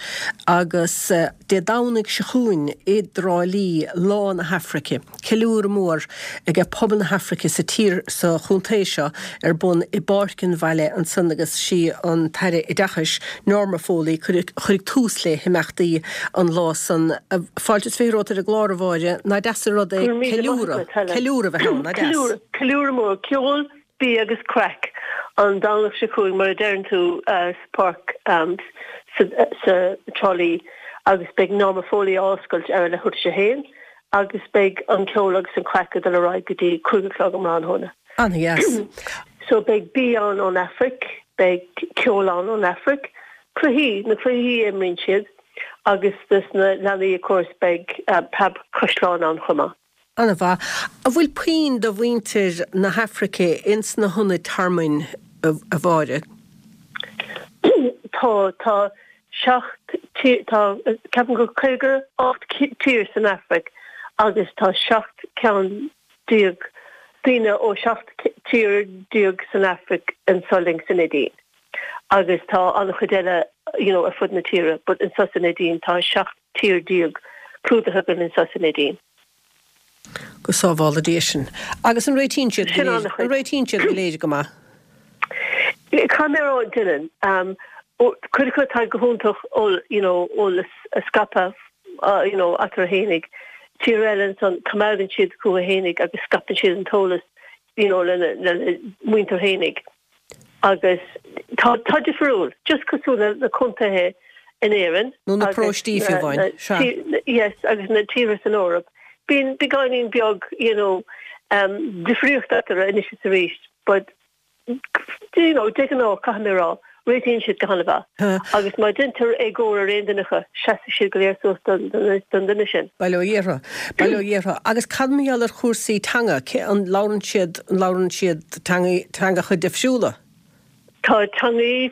A: agus Dé Domhnaigh seo chugainn i dTrá Lí, Lá na hAfraice, ceiliúradh mór ag pobal na hAfraice sa tír, sa chontae seo ar bun i bPáirc an Bhaile ansan agus sí an tAire Oideachais, Norma Foley, chuirfidh tús le himeachtaí an lá san. Fáilte is 20 romhat ar an gclár, a Mháire. Nach deas an rud é ceiliúradh, ceiliúradh a bheith ann, nach deas?
E: Ceiliúradh mór, ceol, bia agus craic an Domhnach seo chugainn mar a deireann tú sa pháirc sa Trá Lí agus beidh Norma Foley á oscailt ar a leathuair tar éis a haon agus beidh an ceol agus an craic ag dul ar aghaidh go dtí 5 a chlog um thráthnóna.
A: An-dheas.
E: So beidh bia ann ón Afraic, beidh ceol ann ón Afraic, cluichí, na cluichí a imríonn siad agus dos na leanaí of course beidh preabchaisleán ann chomh maith.
A: An-mhaith. An bhfuil puinn de mhuintir na hAfraice ins na hionaid tearmainn, a Mháire?
E: Tá, tá 7 tír, tá, ceapaim gur 58 tír san Afraic agus tá 17 ceann daoine ó 17 tír san Afraic anso linn sa Neidín. Agus tá an-chuid eile you know ar fud na tíre but anso sa Neidín tá 17 tír clúdaithe againn anso sa Neidín.
A: Go sábhála Dia sinn. Agus an réitíonn siad go léir, an réitíonn siad go léir go maith?
E: Caithfidh mé a rá, déanann. Cuid acu tá go hiontach you know eolas a scaipeadh you know eatarthu fhéinig. Tír eile ansan coimeádann siad chucu fhéinig agus scaipeann siad an t-eolas you know lena lena muintir fhéinig. Agus tá, tá difriúil, just cosúil le na contaetha in Éirinn.
A: Nó na paróistí fiú amháin,
E: sea. Yes, agus na tíortha san Eoraip. Bíonn beagáinín beag, you know, difríocht eatarthu anois is arís, but, you know, de ghnáth, caithfidh mé a rá, réitíonn siad go han-mhaith. Agus má deintear éagóir ar aon duine acu, seasfaidh siad go léir suas don duine sin.
A: Bail ó Dhia orthu. Bail ó Dhia orthu. Agus cad mar gheall ar chúrsaí teanga? Cé, an labhrann siad, an labhrann siad teangaí, teangacha difriúla?
E: Tá teangaí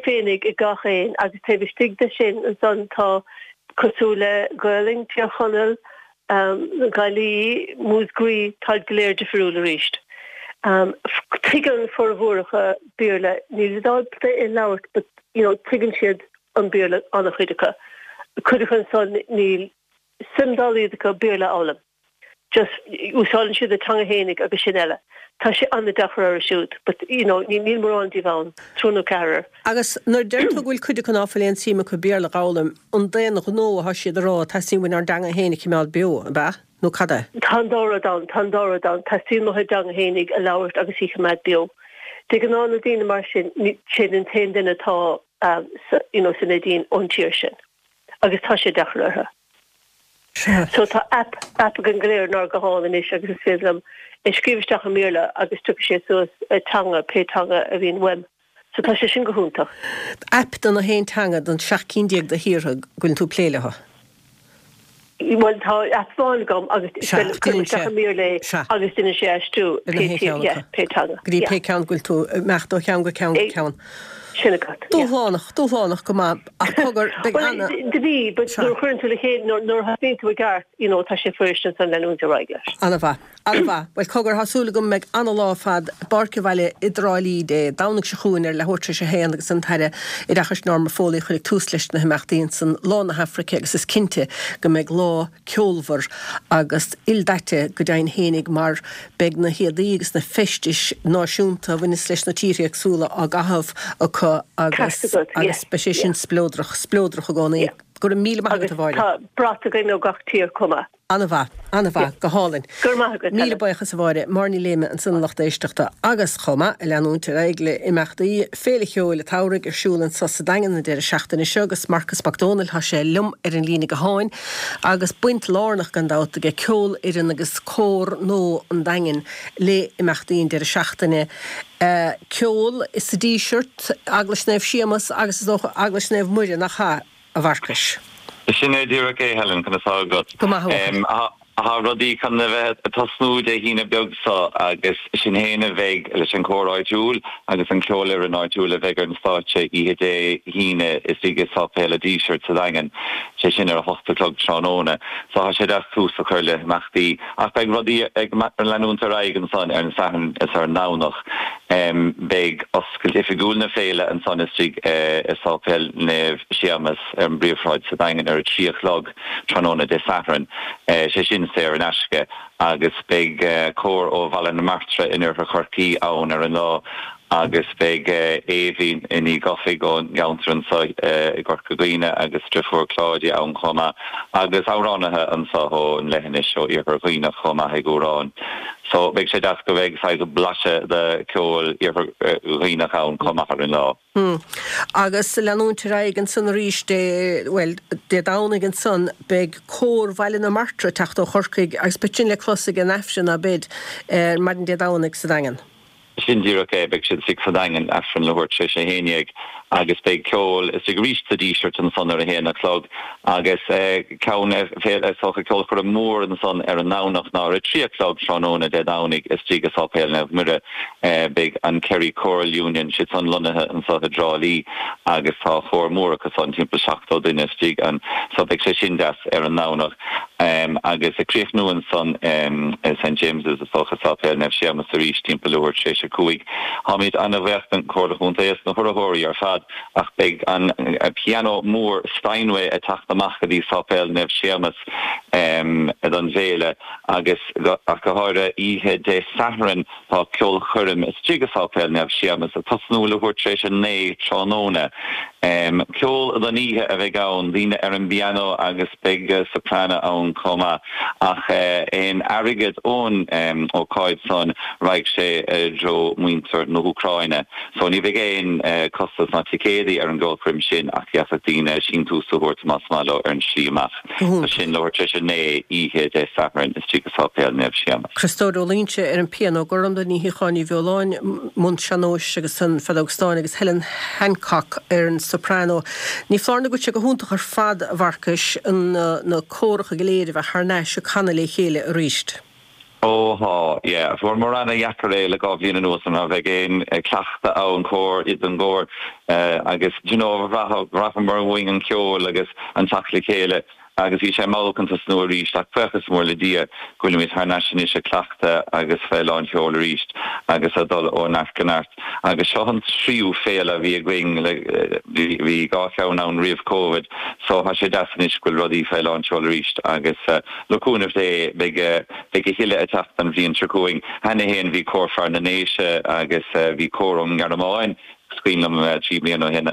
E: féinig ag gach aon agus taobh istigh de sin ansan tá cosúil le Gaolainn, Tír Chonaill, Gaillimh, Múscraí, táid go léir difriúil arís. Tuigeann formhór acu Béarla, níl siad ábalta é a labhairt but you know tuigeann siad an Béarla an-chuid acu. Cuid acu ansan níl suim dá laghad acu Béarla a fhoghlaim. Just úsáideann siad a teanga fhéinig agus sin eile. Tá sé an-deacair orthu siúd but you know níl mórán díobh ann, triúr nó ceathrar.
A: Agus nuair a deir tú go bhfuil cuid acu ná fuil aon tsuim acu Béarla a dh'fhoghlaim, an d'aon ghnó atá siad a rá teastaíonn uainn ár dteanga féin a chimeád beo, ab ea? Nó cad é?
E: Tá an dá rud ann, tá an dá rud ann. Teastaíonn uathu a dteanga fhéinig a labhairt agus í a choimeád beo. De ghnáth na daoine mar sin, siad an t-aon duine atá sa, you know, sa Neidín ón tír sin. Agus tá sé deacair orthu. So tá aip, aip againn go léir inár nguthán anois agus is féidir liom é scríobh isteach i mBéarla agus tiocfaidh sé suas teanga, pé teanga a bhíonn uaim. So tá sé sin go hiontach.
A: Aip do na haon teanga don 17 cinn de thíortha go bhfuileann tú ag plé leo.
E: Bhuel tá aip amháin agam agus cuirim isteach i mBéarla é agus déanann sé aistriú pé tír, yeah, pé teanga.
A: Go dtí pé ceann go bhfuil tú ag imeacht ó cheann go ceann go ceann.
E: Sin agat,
A: yeah. Dúshlánach, dúshlánach go maith ach cogar, beidh
E: ana. Bhuel, do bhí, but nuair a chuireann tú le chéile, nuair a thosnaíonn tú i gceart, you know, tá sé fuirist ansan leanúint ar aghaidh leis.
A: Ana-mhaith, ana-mhaith. Bhuel, cogar, tá súil agam go mbeidh ana-lá ar fad i bPáirc an Bhaile i dTrá Lí Dé Domhnaigh seo chugainn ar leathuair tar éis a haon agus an tAire Oideachais Norma Foley a chuirfidh tús leis na himeachtaí ansan, Lá na hAfraice agus is cinnte go mbeidh lá ceolmhar agus ildaite go deimhin fhéinig mar beidh na héadaí agus na feistis náisiúnta a bhaineas leis na tíortha éagsúla á gcaitheamh acu agus agus beidh sé sin spleodrach, spleodrach i gcónaí. Go raibh míle maith agat a Mháire.
E: Tá brat againn ó gach tír chomh maith.
A: An-mhaith, an-mhaith, go hálainn.
E: Go raibh maith agat,
A: Míle buíochas a Mháire. Máire Ní Léime ansan a lucht éisteachta agus chomh maith, ag leanúint ar aghaidh le imeachtaí Féile Cheoil an tSamhraidh ar siúl anso sa Daingean an deireadh seachtaine seo agus Marcus Mac Dónaill, tá sé liom ar an líne gutháin agus baint lárnach gan dabht aige ceolfhoireann agus cór nua an Daingin le imeachtaí an deireadh seachtaine. Ceol sa Díseart, Eaglais Naomh Séamus agus is dócha Eaglais Naomh Muire, nach ea? a Mharcais.
F: Sin é díreach é, Helen, conas tá agat?
A: Go maith, a
F: bhuachaill. Tá rudaí chun a bheith ag tosnú Dé hAoine beag seo agus sinn féin a bheidh leis an chór áitiúil agus an cheolfhoireann áitiúil a bheidh ar an stáitse oíche Dé hAoine istigh i Sáipéal a' Dísirt sa Daingean. Sé sin ar a hocht a chlog tráthnóna. So tá sé deas tús a chur le himeachtaí ach beidh rudaí ag leanúint ar aghaidh ansan ar an Satharn is ar an nDomhnach. Beidh oscailt oifigiúil na féile ansan istigh i Sáipéal Naomh Séamas ar an bPríomhshráid sa Daingean ar a 3 a chlog tráthnóna Dé Sathairn. Sé sin saor in aisce agus beidh cór ó Bhaile na Martra in Oirthear Chorcaí ann ar an lá agus beidh Aoibhinn Ní Dhufaigh ón gceantar anseo i gCorca Dhuibhne agus a deirfiúr Claudia ann chomh maith agus amhránaithe anseo ón leithinis ó Iarthar Dhuibhneach chomh maith ag amhrán. So beidh sé deas go mbeidh saghas blaiseadh de cheol Iarthar Dhuibhneach ann chomh maith ar an lá.
A: Hmm. Agus leanúint ar aghaidh ansan arís Dé, bhuel, Dé Domhnaigh ansan, beidh Cór Bhaile na Martra ag teacht ó Chorcaigh agus beidh sin le clos ag an Aifreann, ab ea, ar maidin Dé Domhnaigh sa Daingean.
F: Sin díreach é, beidh siad istigh sa Daingean, Aifreann leathuair tar éis a haon dhéag agus beidh ceol istigh arís sa Díseart ansan ar a haon a chlog agus ceann is dócha ceolchoirm mhór ansan ar an nDomhnach ná ar a trí a chlog tráthnóna Dé Domhnaigh istigh i Sáipéal Naomh Muire beidh an Kerry Choral Union, siad san lonnaithe anso i dTrá Lí agus tá cór mór acu san, timpeall 70 duine istigh ann so beidh sé sin deas ar an nDomhnach. Agus ag críochnú ansan i St James's is dócha, Sáipéal Naomh Séamas arís timpeall leathuair tar éis a 5. Táimid ana-bhuíoch den Chomhairle Chontae is na hurraitheoirí ar fad ach beidh an pianó mór Steinway ag teacht amach go dtí Sáipéal Naomh Séamas don bhféile agus ach go háirithe oíche Dé Sathairn Tá ceolchoirm istigh i Sáipéal Naomh Séamas ag tosnú leathuair tar éis 9 tráthnóna. Ceol don oíche a bheidh ann, daoine ar an bpianó agus beidh soprano ann chomh maith. Ach aon airgead ón ócáid san raghaidh sé i dtreo muintir na hÚcráine. So ní bheidh aon costas ná ticéadaí ar an gceolchoirm sin ach d'fhéadfadh daoine síntiús a thabhairt más maith leo ar an slí amach. So sin leathuair tar éis 9 oíche Dé Sathairn istigh i Sáipéal Naomh Séamas.
A: Criostóir Ó Loingsigh ar an pianó, Gormfhlaith Ní Shíocháin Ní Bheoláin i mbun sean-nóis agus an feadóg stáin agus Helen Hancock ar an soprano. Ní foláir nó go bhfuil sé go hiontach ar fad, a Mharcais, na córacha go léir a bheith thar n-ais ag canadh le chéile arís.
F: Ó thá, yeah. Fuaireamar ana-dheacair é le dhá bhliain anuas ná bheadh aon cleachtadh ann cór don gcór agus do you know bhraitheamar uainn an ceol agus an teacht le chéile agus bhí sé mall chun tosnú arís ach buíochas mór le Dia go bhfuilimid thar n-ais anois ag cleachtadh agus fé lán sheoil arís agus ag dul ó neart go neart agus seo an tríú féile a bhí againn le bhí dhá cheann ann roimh Covid so thá sé deas anois go bhfuil rudaí fé lán seoil arís agus Le cúnamh Dé, beidh beidh a thuilleadh ag teacht an bhliain seo chugainn. Cheana fhéin bhí Cór Fear na nDéise agus bhí cór ón nGearmáin, is cuimhin liom, 3 bliana ó shin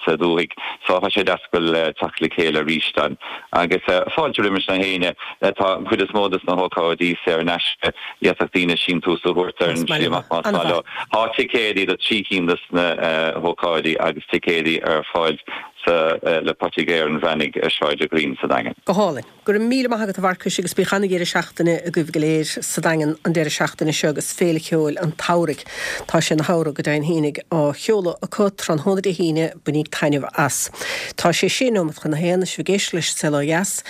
F: sa dúthaigh. So tá sé deas go bhfuil teacht le chéile arís ann. Agus fáilte roimis na héinne. Tá an chuid is mó des na hócáidí saor in aisce. D'fhéadfadh daoine síntiús a thabhairt ar an slí amach más maith leo. Tá ticéadaí do thrí cinn des na hócáidí agus ticéadaí ar fáil sa le Poitigéir an Bhreathnaigh ar Sráid an Ghreen sa Daingean.
A: Go hálainn. Go raibh míle maith agat a Mharcais agus bíodh ana-dheireadh seachtaine agaibh go léir sa Daingean an deireadh seachtaine seo agus Féile Cheoil an tSamhraidh, tá sé ina shamhradh go deimhin fhéinig, á sheoladh acu tráthnóna Dé hAoine, bainíg taitneamh as. Tá sé sé nóiméad chun a haon, sibh ag éisteacht leis an Saol Ó Dheas.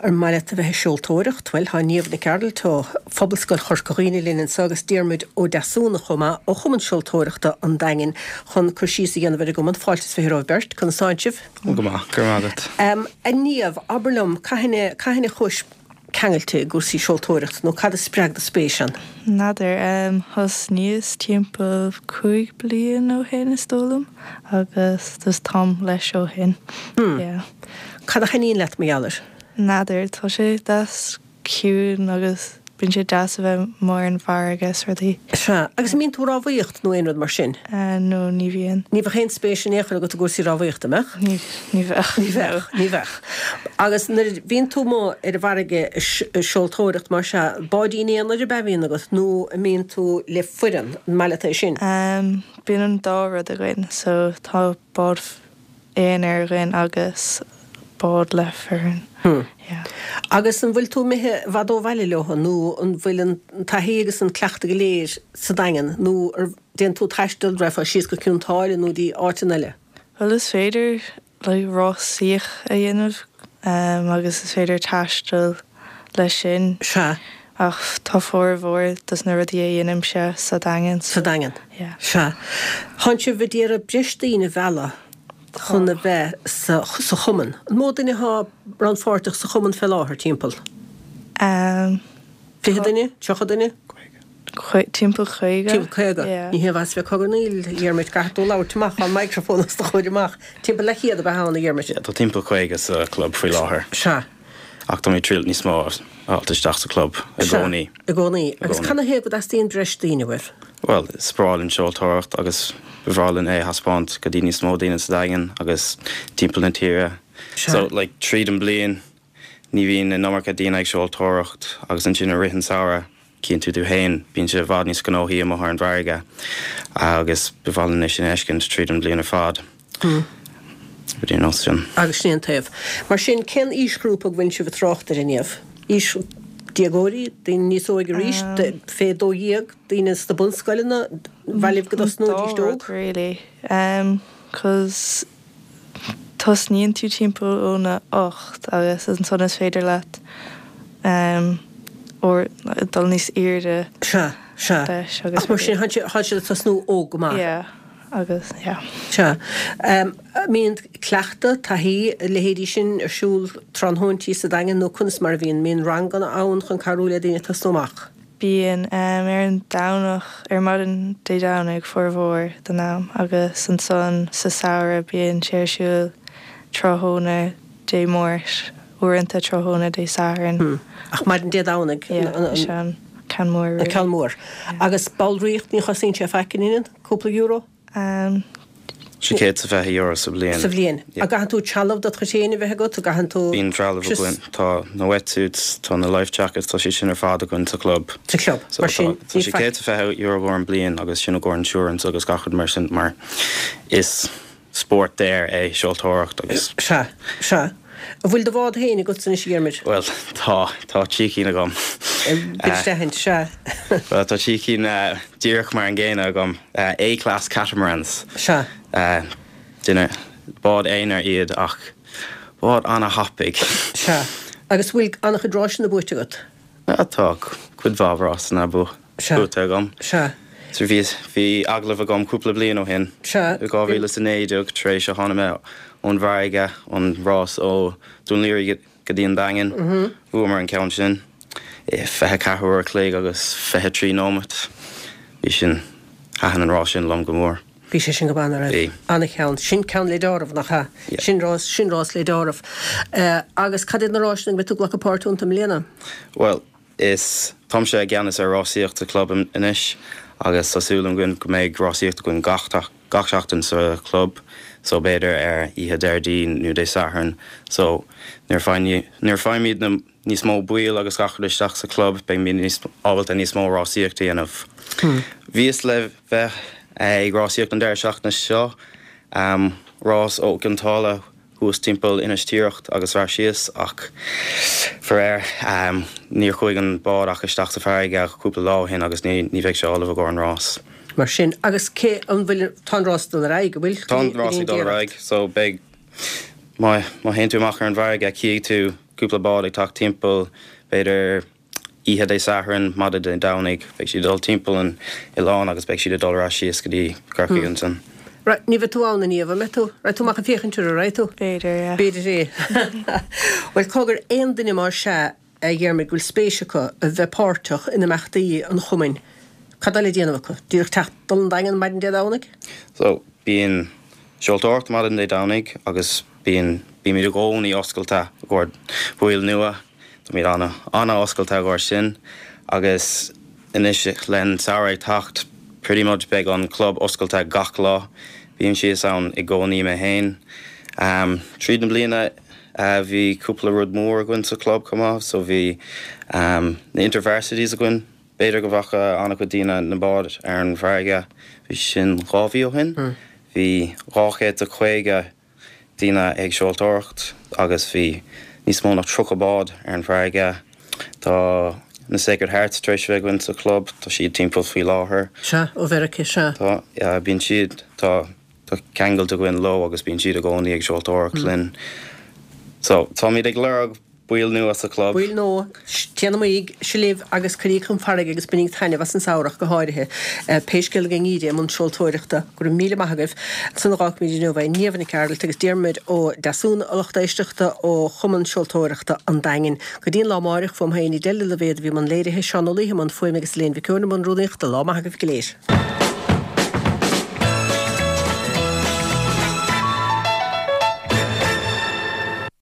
A: Ar maith leat a bheith ag seoltóireacht? Bhuel, tá Niamh Nic Gearailt ó Phobalscoil Chorca Dhuibhne linn anseo agus Diarmuid Ó Deasúna chomh maith ó Chumann Seoltóireachta an Daingin chun cur síos a dhéanamh ar an gcumann. Fáilte is 20 romhaibh beirt. Conas tánn sibh?
G: Go maith, go raibh maith agat.
A: A Niamh, abair liom, cathain a, cathain a chuais ceangailte i gcúrsaí seoltóireachta nó cad a spreag do spéis ann?
H: N'fheadar, thosnaíos timpeall 5 bliain ó shin is dóigh liom agus just táim leis ó shin, yeah.
A: Cad a thaitníonn leat mar gheall air?
H: N'fheadar, tá sé deas ciúin agus bíonn sé deas a bheith amuigh ar an bhfarraige is rudaí.
A: Sea. Agus an mbíonn tú ag rámhaíocht nó aon rud mar sin?
H: No, ní bhíonn.
A: Ní bheadh aon spéis in aon chor agat i gcúrsaí rámhaíochta, an mbeadh?
H: Ní, ní bheadh.
A: Ní bheadh, ní bheadh. Agus nuair a bhíonn tú amuigh ar an bhfarraige ag seoltóireacht mar sea, báidín aonair ab ea a bhíonn agat nó an mbíonn tú le foireann, an maith leat é sin?
H: Bíonn an dá rud againn, so tá bád aonair againn agus bád le foireann. Yeah.
A: Agus an bhfuil tú imithe i bhfad ó bhaile leo nó an bhfuil an taithí agus an cleachtadh go léir sa Daingean nó ar déanann tú taisteal, raghfá síos go Cionn tSáile nó dtí áiteanna eile?
H: Bhuel is féidir like rásaíocht a dhéanamh agus is féidir taisteal leis sin.
A: Sea.
H: Ach tá formhór dos na rudaí a dhéanaimse sa Daingean.
A: Sa Daingean.
H: Yeah.
A: Sea. Tánn sibh ag iarraidh breis daoine a mhealladh. chun a bheith sa sa chumann? An mó duine atá rannpháirteach sa chumann fé láthair, timpeall? 20 duine? 30 duine?
H: Timpeall 50.
A: Timpeall 50.
H: Yeah.
A: Ní haon mhaith a bheith ag cogarnaíl, a Dhiarmuid, caithfidh tú labhairt amach an microphone os do chomhair amach. Timpeall leathchéad ab ea ann, a Dhiarmuid?
G: Yeah, tá timpeall 50 sa chlub faoi láthair.
A: Sea.
G: Ach táimid ag triail níos mó a fháilt isteach sa chlub i gcónaí.
A: I gcónaí. Agus canathaobh go dteastaíonn breis daoine uaibh?
G: Bhuel, is breá linn seoltóireacht agus ba bhreá linn é a thaispeáint go dtí níos mó daoine sa Daingean agus timpeall na tíre.
A: Sea.
G: So, like, tríd an bliain ní bhíonn an iomarca daoine ag seoltóireacht agus ansin i rith an samhradh, Cíonn tú tú féin, bíonn sé i bhfad níos gnóthaí amuigh ar an bhfarraige agus ba mhaith linn é sin a fheiscint tríd an bhliain ar fad. Rudaí ar nós sin.
A: Agus sin é an taobh. Mar sin, cén aoisghrúpa go bhfuil sibh ag trácht air inniu? Aois déagóirí, daoine níos óige arís, fé 12, daoine sna bunscoileanna, ar mhaith libh go dtosnóidís
H: An dá
A: óg?
H: rud really. 'Cause Tosnaíonn tú timpeall óna 8 agus ansan is féidir leat dul níos airde
A: Sea, sea.
H: leis agus
A: Ach mar sin, tá siad ag tosnú óg go maith.
H: Yeah, agus yeah.
A: Sea. An mbíonn cleachtadh, taithí, a leithéidí sin ar siúl tráthnóintí sa Daingean nó conas mar a bhíonn? An mbíonn ranganna ann chun cabhrú le daoine tosnú amach?
H: Bíonn, ar an Domhnach, ar maidin Dé Domhnaigh formhór den am agus ansan sa samhradh bíonn sé ar siúl tráthnóna Dé Máirt, uaireanta tráthnóna Dé Sathairn.
A: Ach maidin Dé Domhnaigh
H: an Yeah, is é an ceann mór
A: really. An ceann mór. Agus ballraíocht, ní chosaíonn sé faic, an ionann? Cúpla euro?
G: €620 sa bhliain.
A: Sa bhliain. An gcaitheann tú trealamh dod chuid féin a bheith agat? An gcaitheann tú.
G: Bíonn trealamh againn. Tá na wetsuits, tá na life jackets, tá siad sin ar fad againn sa chlub.
A: Sa chlub. Mar sin,
G: tá €620 i gcomhair an bliain agus sin i gcomhair insurance agus gach rud mar sin mar is spórt daor é seoltóireacht agus.
A: Sea, sea. An bhfuil do bhád féin agatsa anois, a Dhiarmuid?
G: Bhuel, tá. Tá trí cinn agam.
A: Bit d'aithint, sea.
G: Bhuel, tá trí cinn díreach mar an gcéanna agam. A-class catamarans.
A: Sea.
G: Duine, bád aonair iad ach bád ana-thapaidh.
A: Sea. Agus bhfuil an-chuid ráiseanna buaite agat?
G: Tá cuid mhaith rásanna buaite agam.
A: Sea.
G: So bhí, bhí agallamh agam cúpla bliain ó shin.
A: Sea.
G: I 2019 tar éis a tháinig mé ón bhfarraige, an rás ó Dún Laoghaire go dtí an Daingean. Bhuamar an ceann sin i 24 uair a chloig agus 23 nóimeat. Bhí sin, thaitin an rás sin liom go mór.
A: Bhí sé sin go maith, nach raibh?
G: Bhí.
A: Ana-cheann. Sin ceann le deáramh, nach ea?
G: Yeah.
A: Sin rás, sin rás le deáramh. Agus cad iad na ráiseanna go mbeidh tú ag glacadh páirt iontu i mbliana?
G: Bhuel, is, táimse i gceannas ar rásaíocht sa chlub anois agus tá súil againn go mbeidh rásaíocht againn gach, gach seachtain sa chlub so b'fhéidir ar oíche Déardaoin nó Dé Sathairn so nuair a nuair a faighimid na níos mó baill agus gach rud isteach sa chlub beimid níos ábalta níos mó rásaíocht a dhéanamh. Bhíos le bheith ag rásaíocht an deireadh seachtaine seo, rás ó Chionn tSáile thuas timpeall Inis Tiaracht agus ar ais síos ach faraor níor chuaigh an bád ach isteach sa bhfarraige cúpla lá ó shin agus ní bheidh sé ullamh i gcomhair an rás.
A: Mar sin, agus cé, an bhfuil, tá an rás ag dul ar aghaidh, an bhfuil?
G: Tá an rás ag dul ar aghaidh so beidh, má má théann tú amach ar an bhfarraige cífidh tú cúpla bád ag teacht timpeall b'fhéidir Oíche Dé Sathairn, maidin Dé Domhnaigh, beidh siad ag dul timpeall an oileáin agus beidh siad ag dul ar ais síos go dtí Corcaigh ansin.
A: Right, ní bheidh tú ann inniu, an mbeidh tú? Raghaidh tú amach ag féachaint orthu, raghaidh tú?
H: B'fhéidir, yeah.
A: B'fhéidir é. Bhuel, cogar, aon duine más ea, a Dhiarmuid, go bhfuil spéis acu a bheith páirteach in imeachtaí an chumainn, cad tá le déanamh acu? Díreach teacht, dul 'on Daingean maidin Dé Domhnaigh?
G: So, bíonn seoltóireacht maidin Dé Domhnaigh agus bíonn, bímid i gcónaí oscailte i gcomhair baill nua. Táimid an-oscailte i gcomhair sin agus anois le an samhradh ag teacht pretty much beidh an club oscailte gach lá. Bím síos ann i gcónaí mé féin. Tríd na bliana bhí cúpla rud mór againn sa chlub chomh maith so bhí na Intervarsities againn. B'fhéidir go bhfaca an-chuid daoine na báid ar an bhfarraige, bhí sin 2 mhí ó shin. Bhí 250 daoine ag seoltóireacht agus bhí níos mó ná 30 bád ar an bhfarraige. Tá na Sacred Hearts tar éis a bheith againn sa chlub, tá siad timpeall faoi láthair.
A: Sea, ó Mheiriceá, sea.
G: Tá, yeah, bíonn siad, tá, tá ceangailt againn leo agus bíonn siad i gcónaí ag seoltóireacht linn. So, táimid ag lorg. Baill nua sa chlub.
A: Baill nua, téanaimíg libh agus cuiríg chun farraige agus bainíg taitneamh as an samhradh go háirithe. Pé scéal ag an ngeimhreadh i mbun seoltóireachta. Go raibh míle maith agaibh. Ansan a dh'fhágfaimid inniu é. Niamh Nic Gearailt agus Diarmuid Ó Deasúna, a lucht éisteachta ó Chumann Seoltóireachta an Daingin. Go dtí an lá amáireach, fuaim féin, Edel Ní Loibhéad a bhí i mbun léirithe, Seán Ó Laoithe i mbun fuaime agus Elaine Mhic Eoin i mbun rúnaíochta. Lá maith agaibh go léir.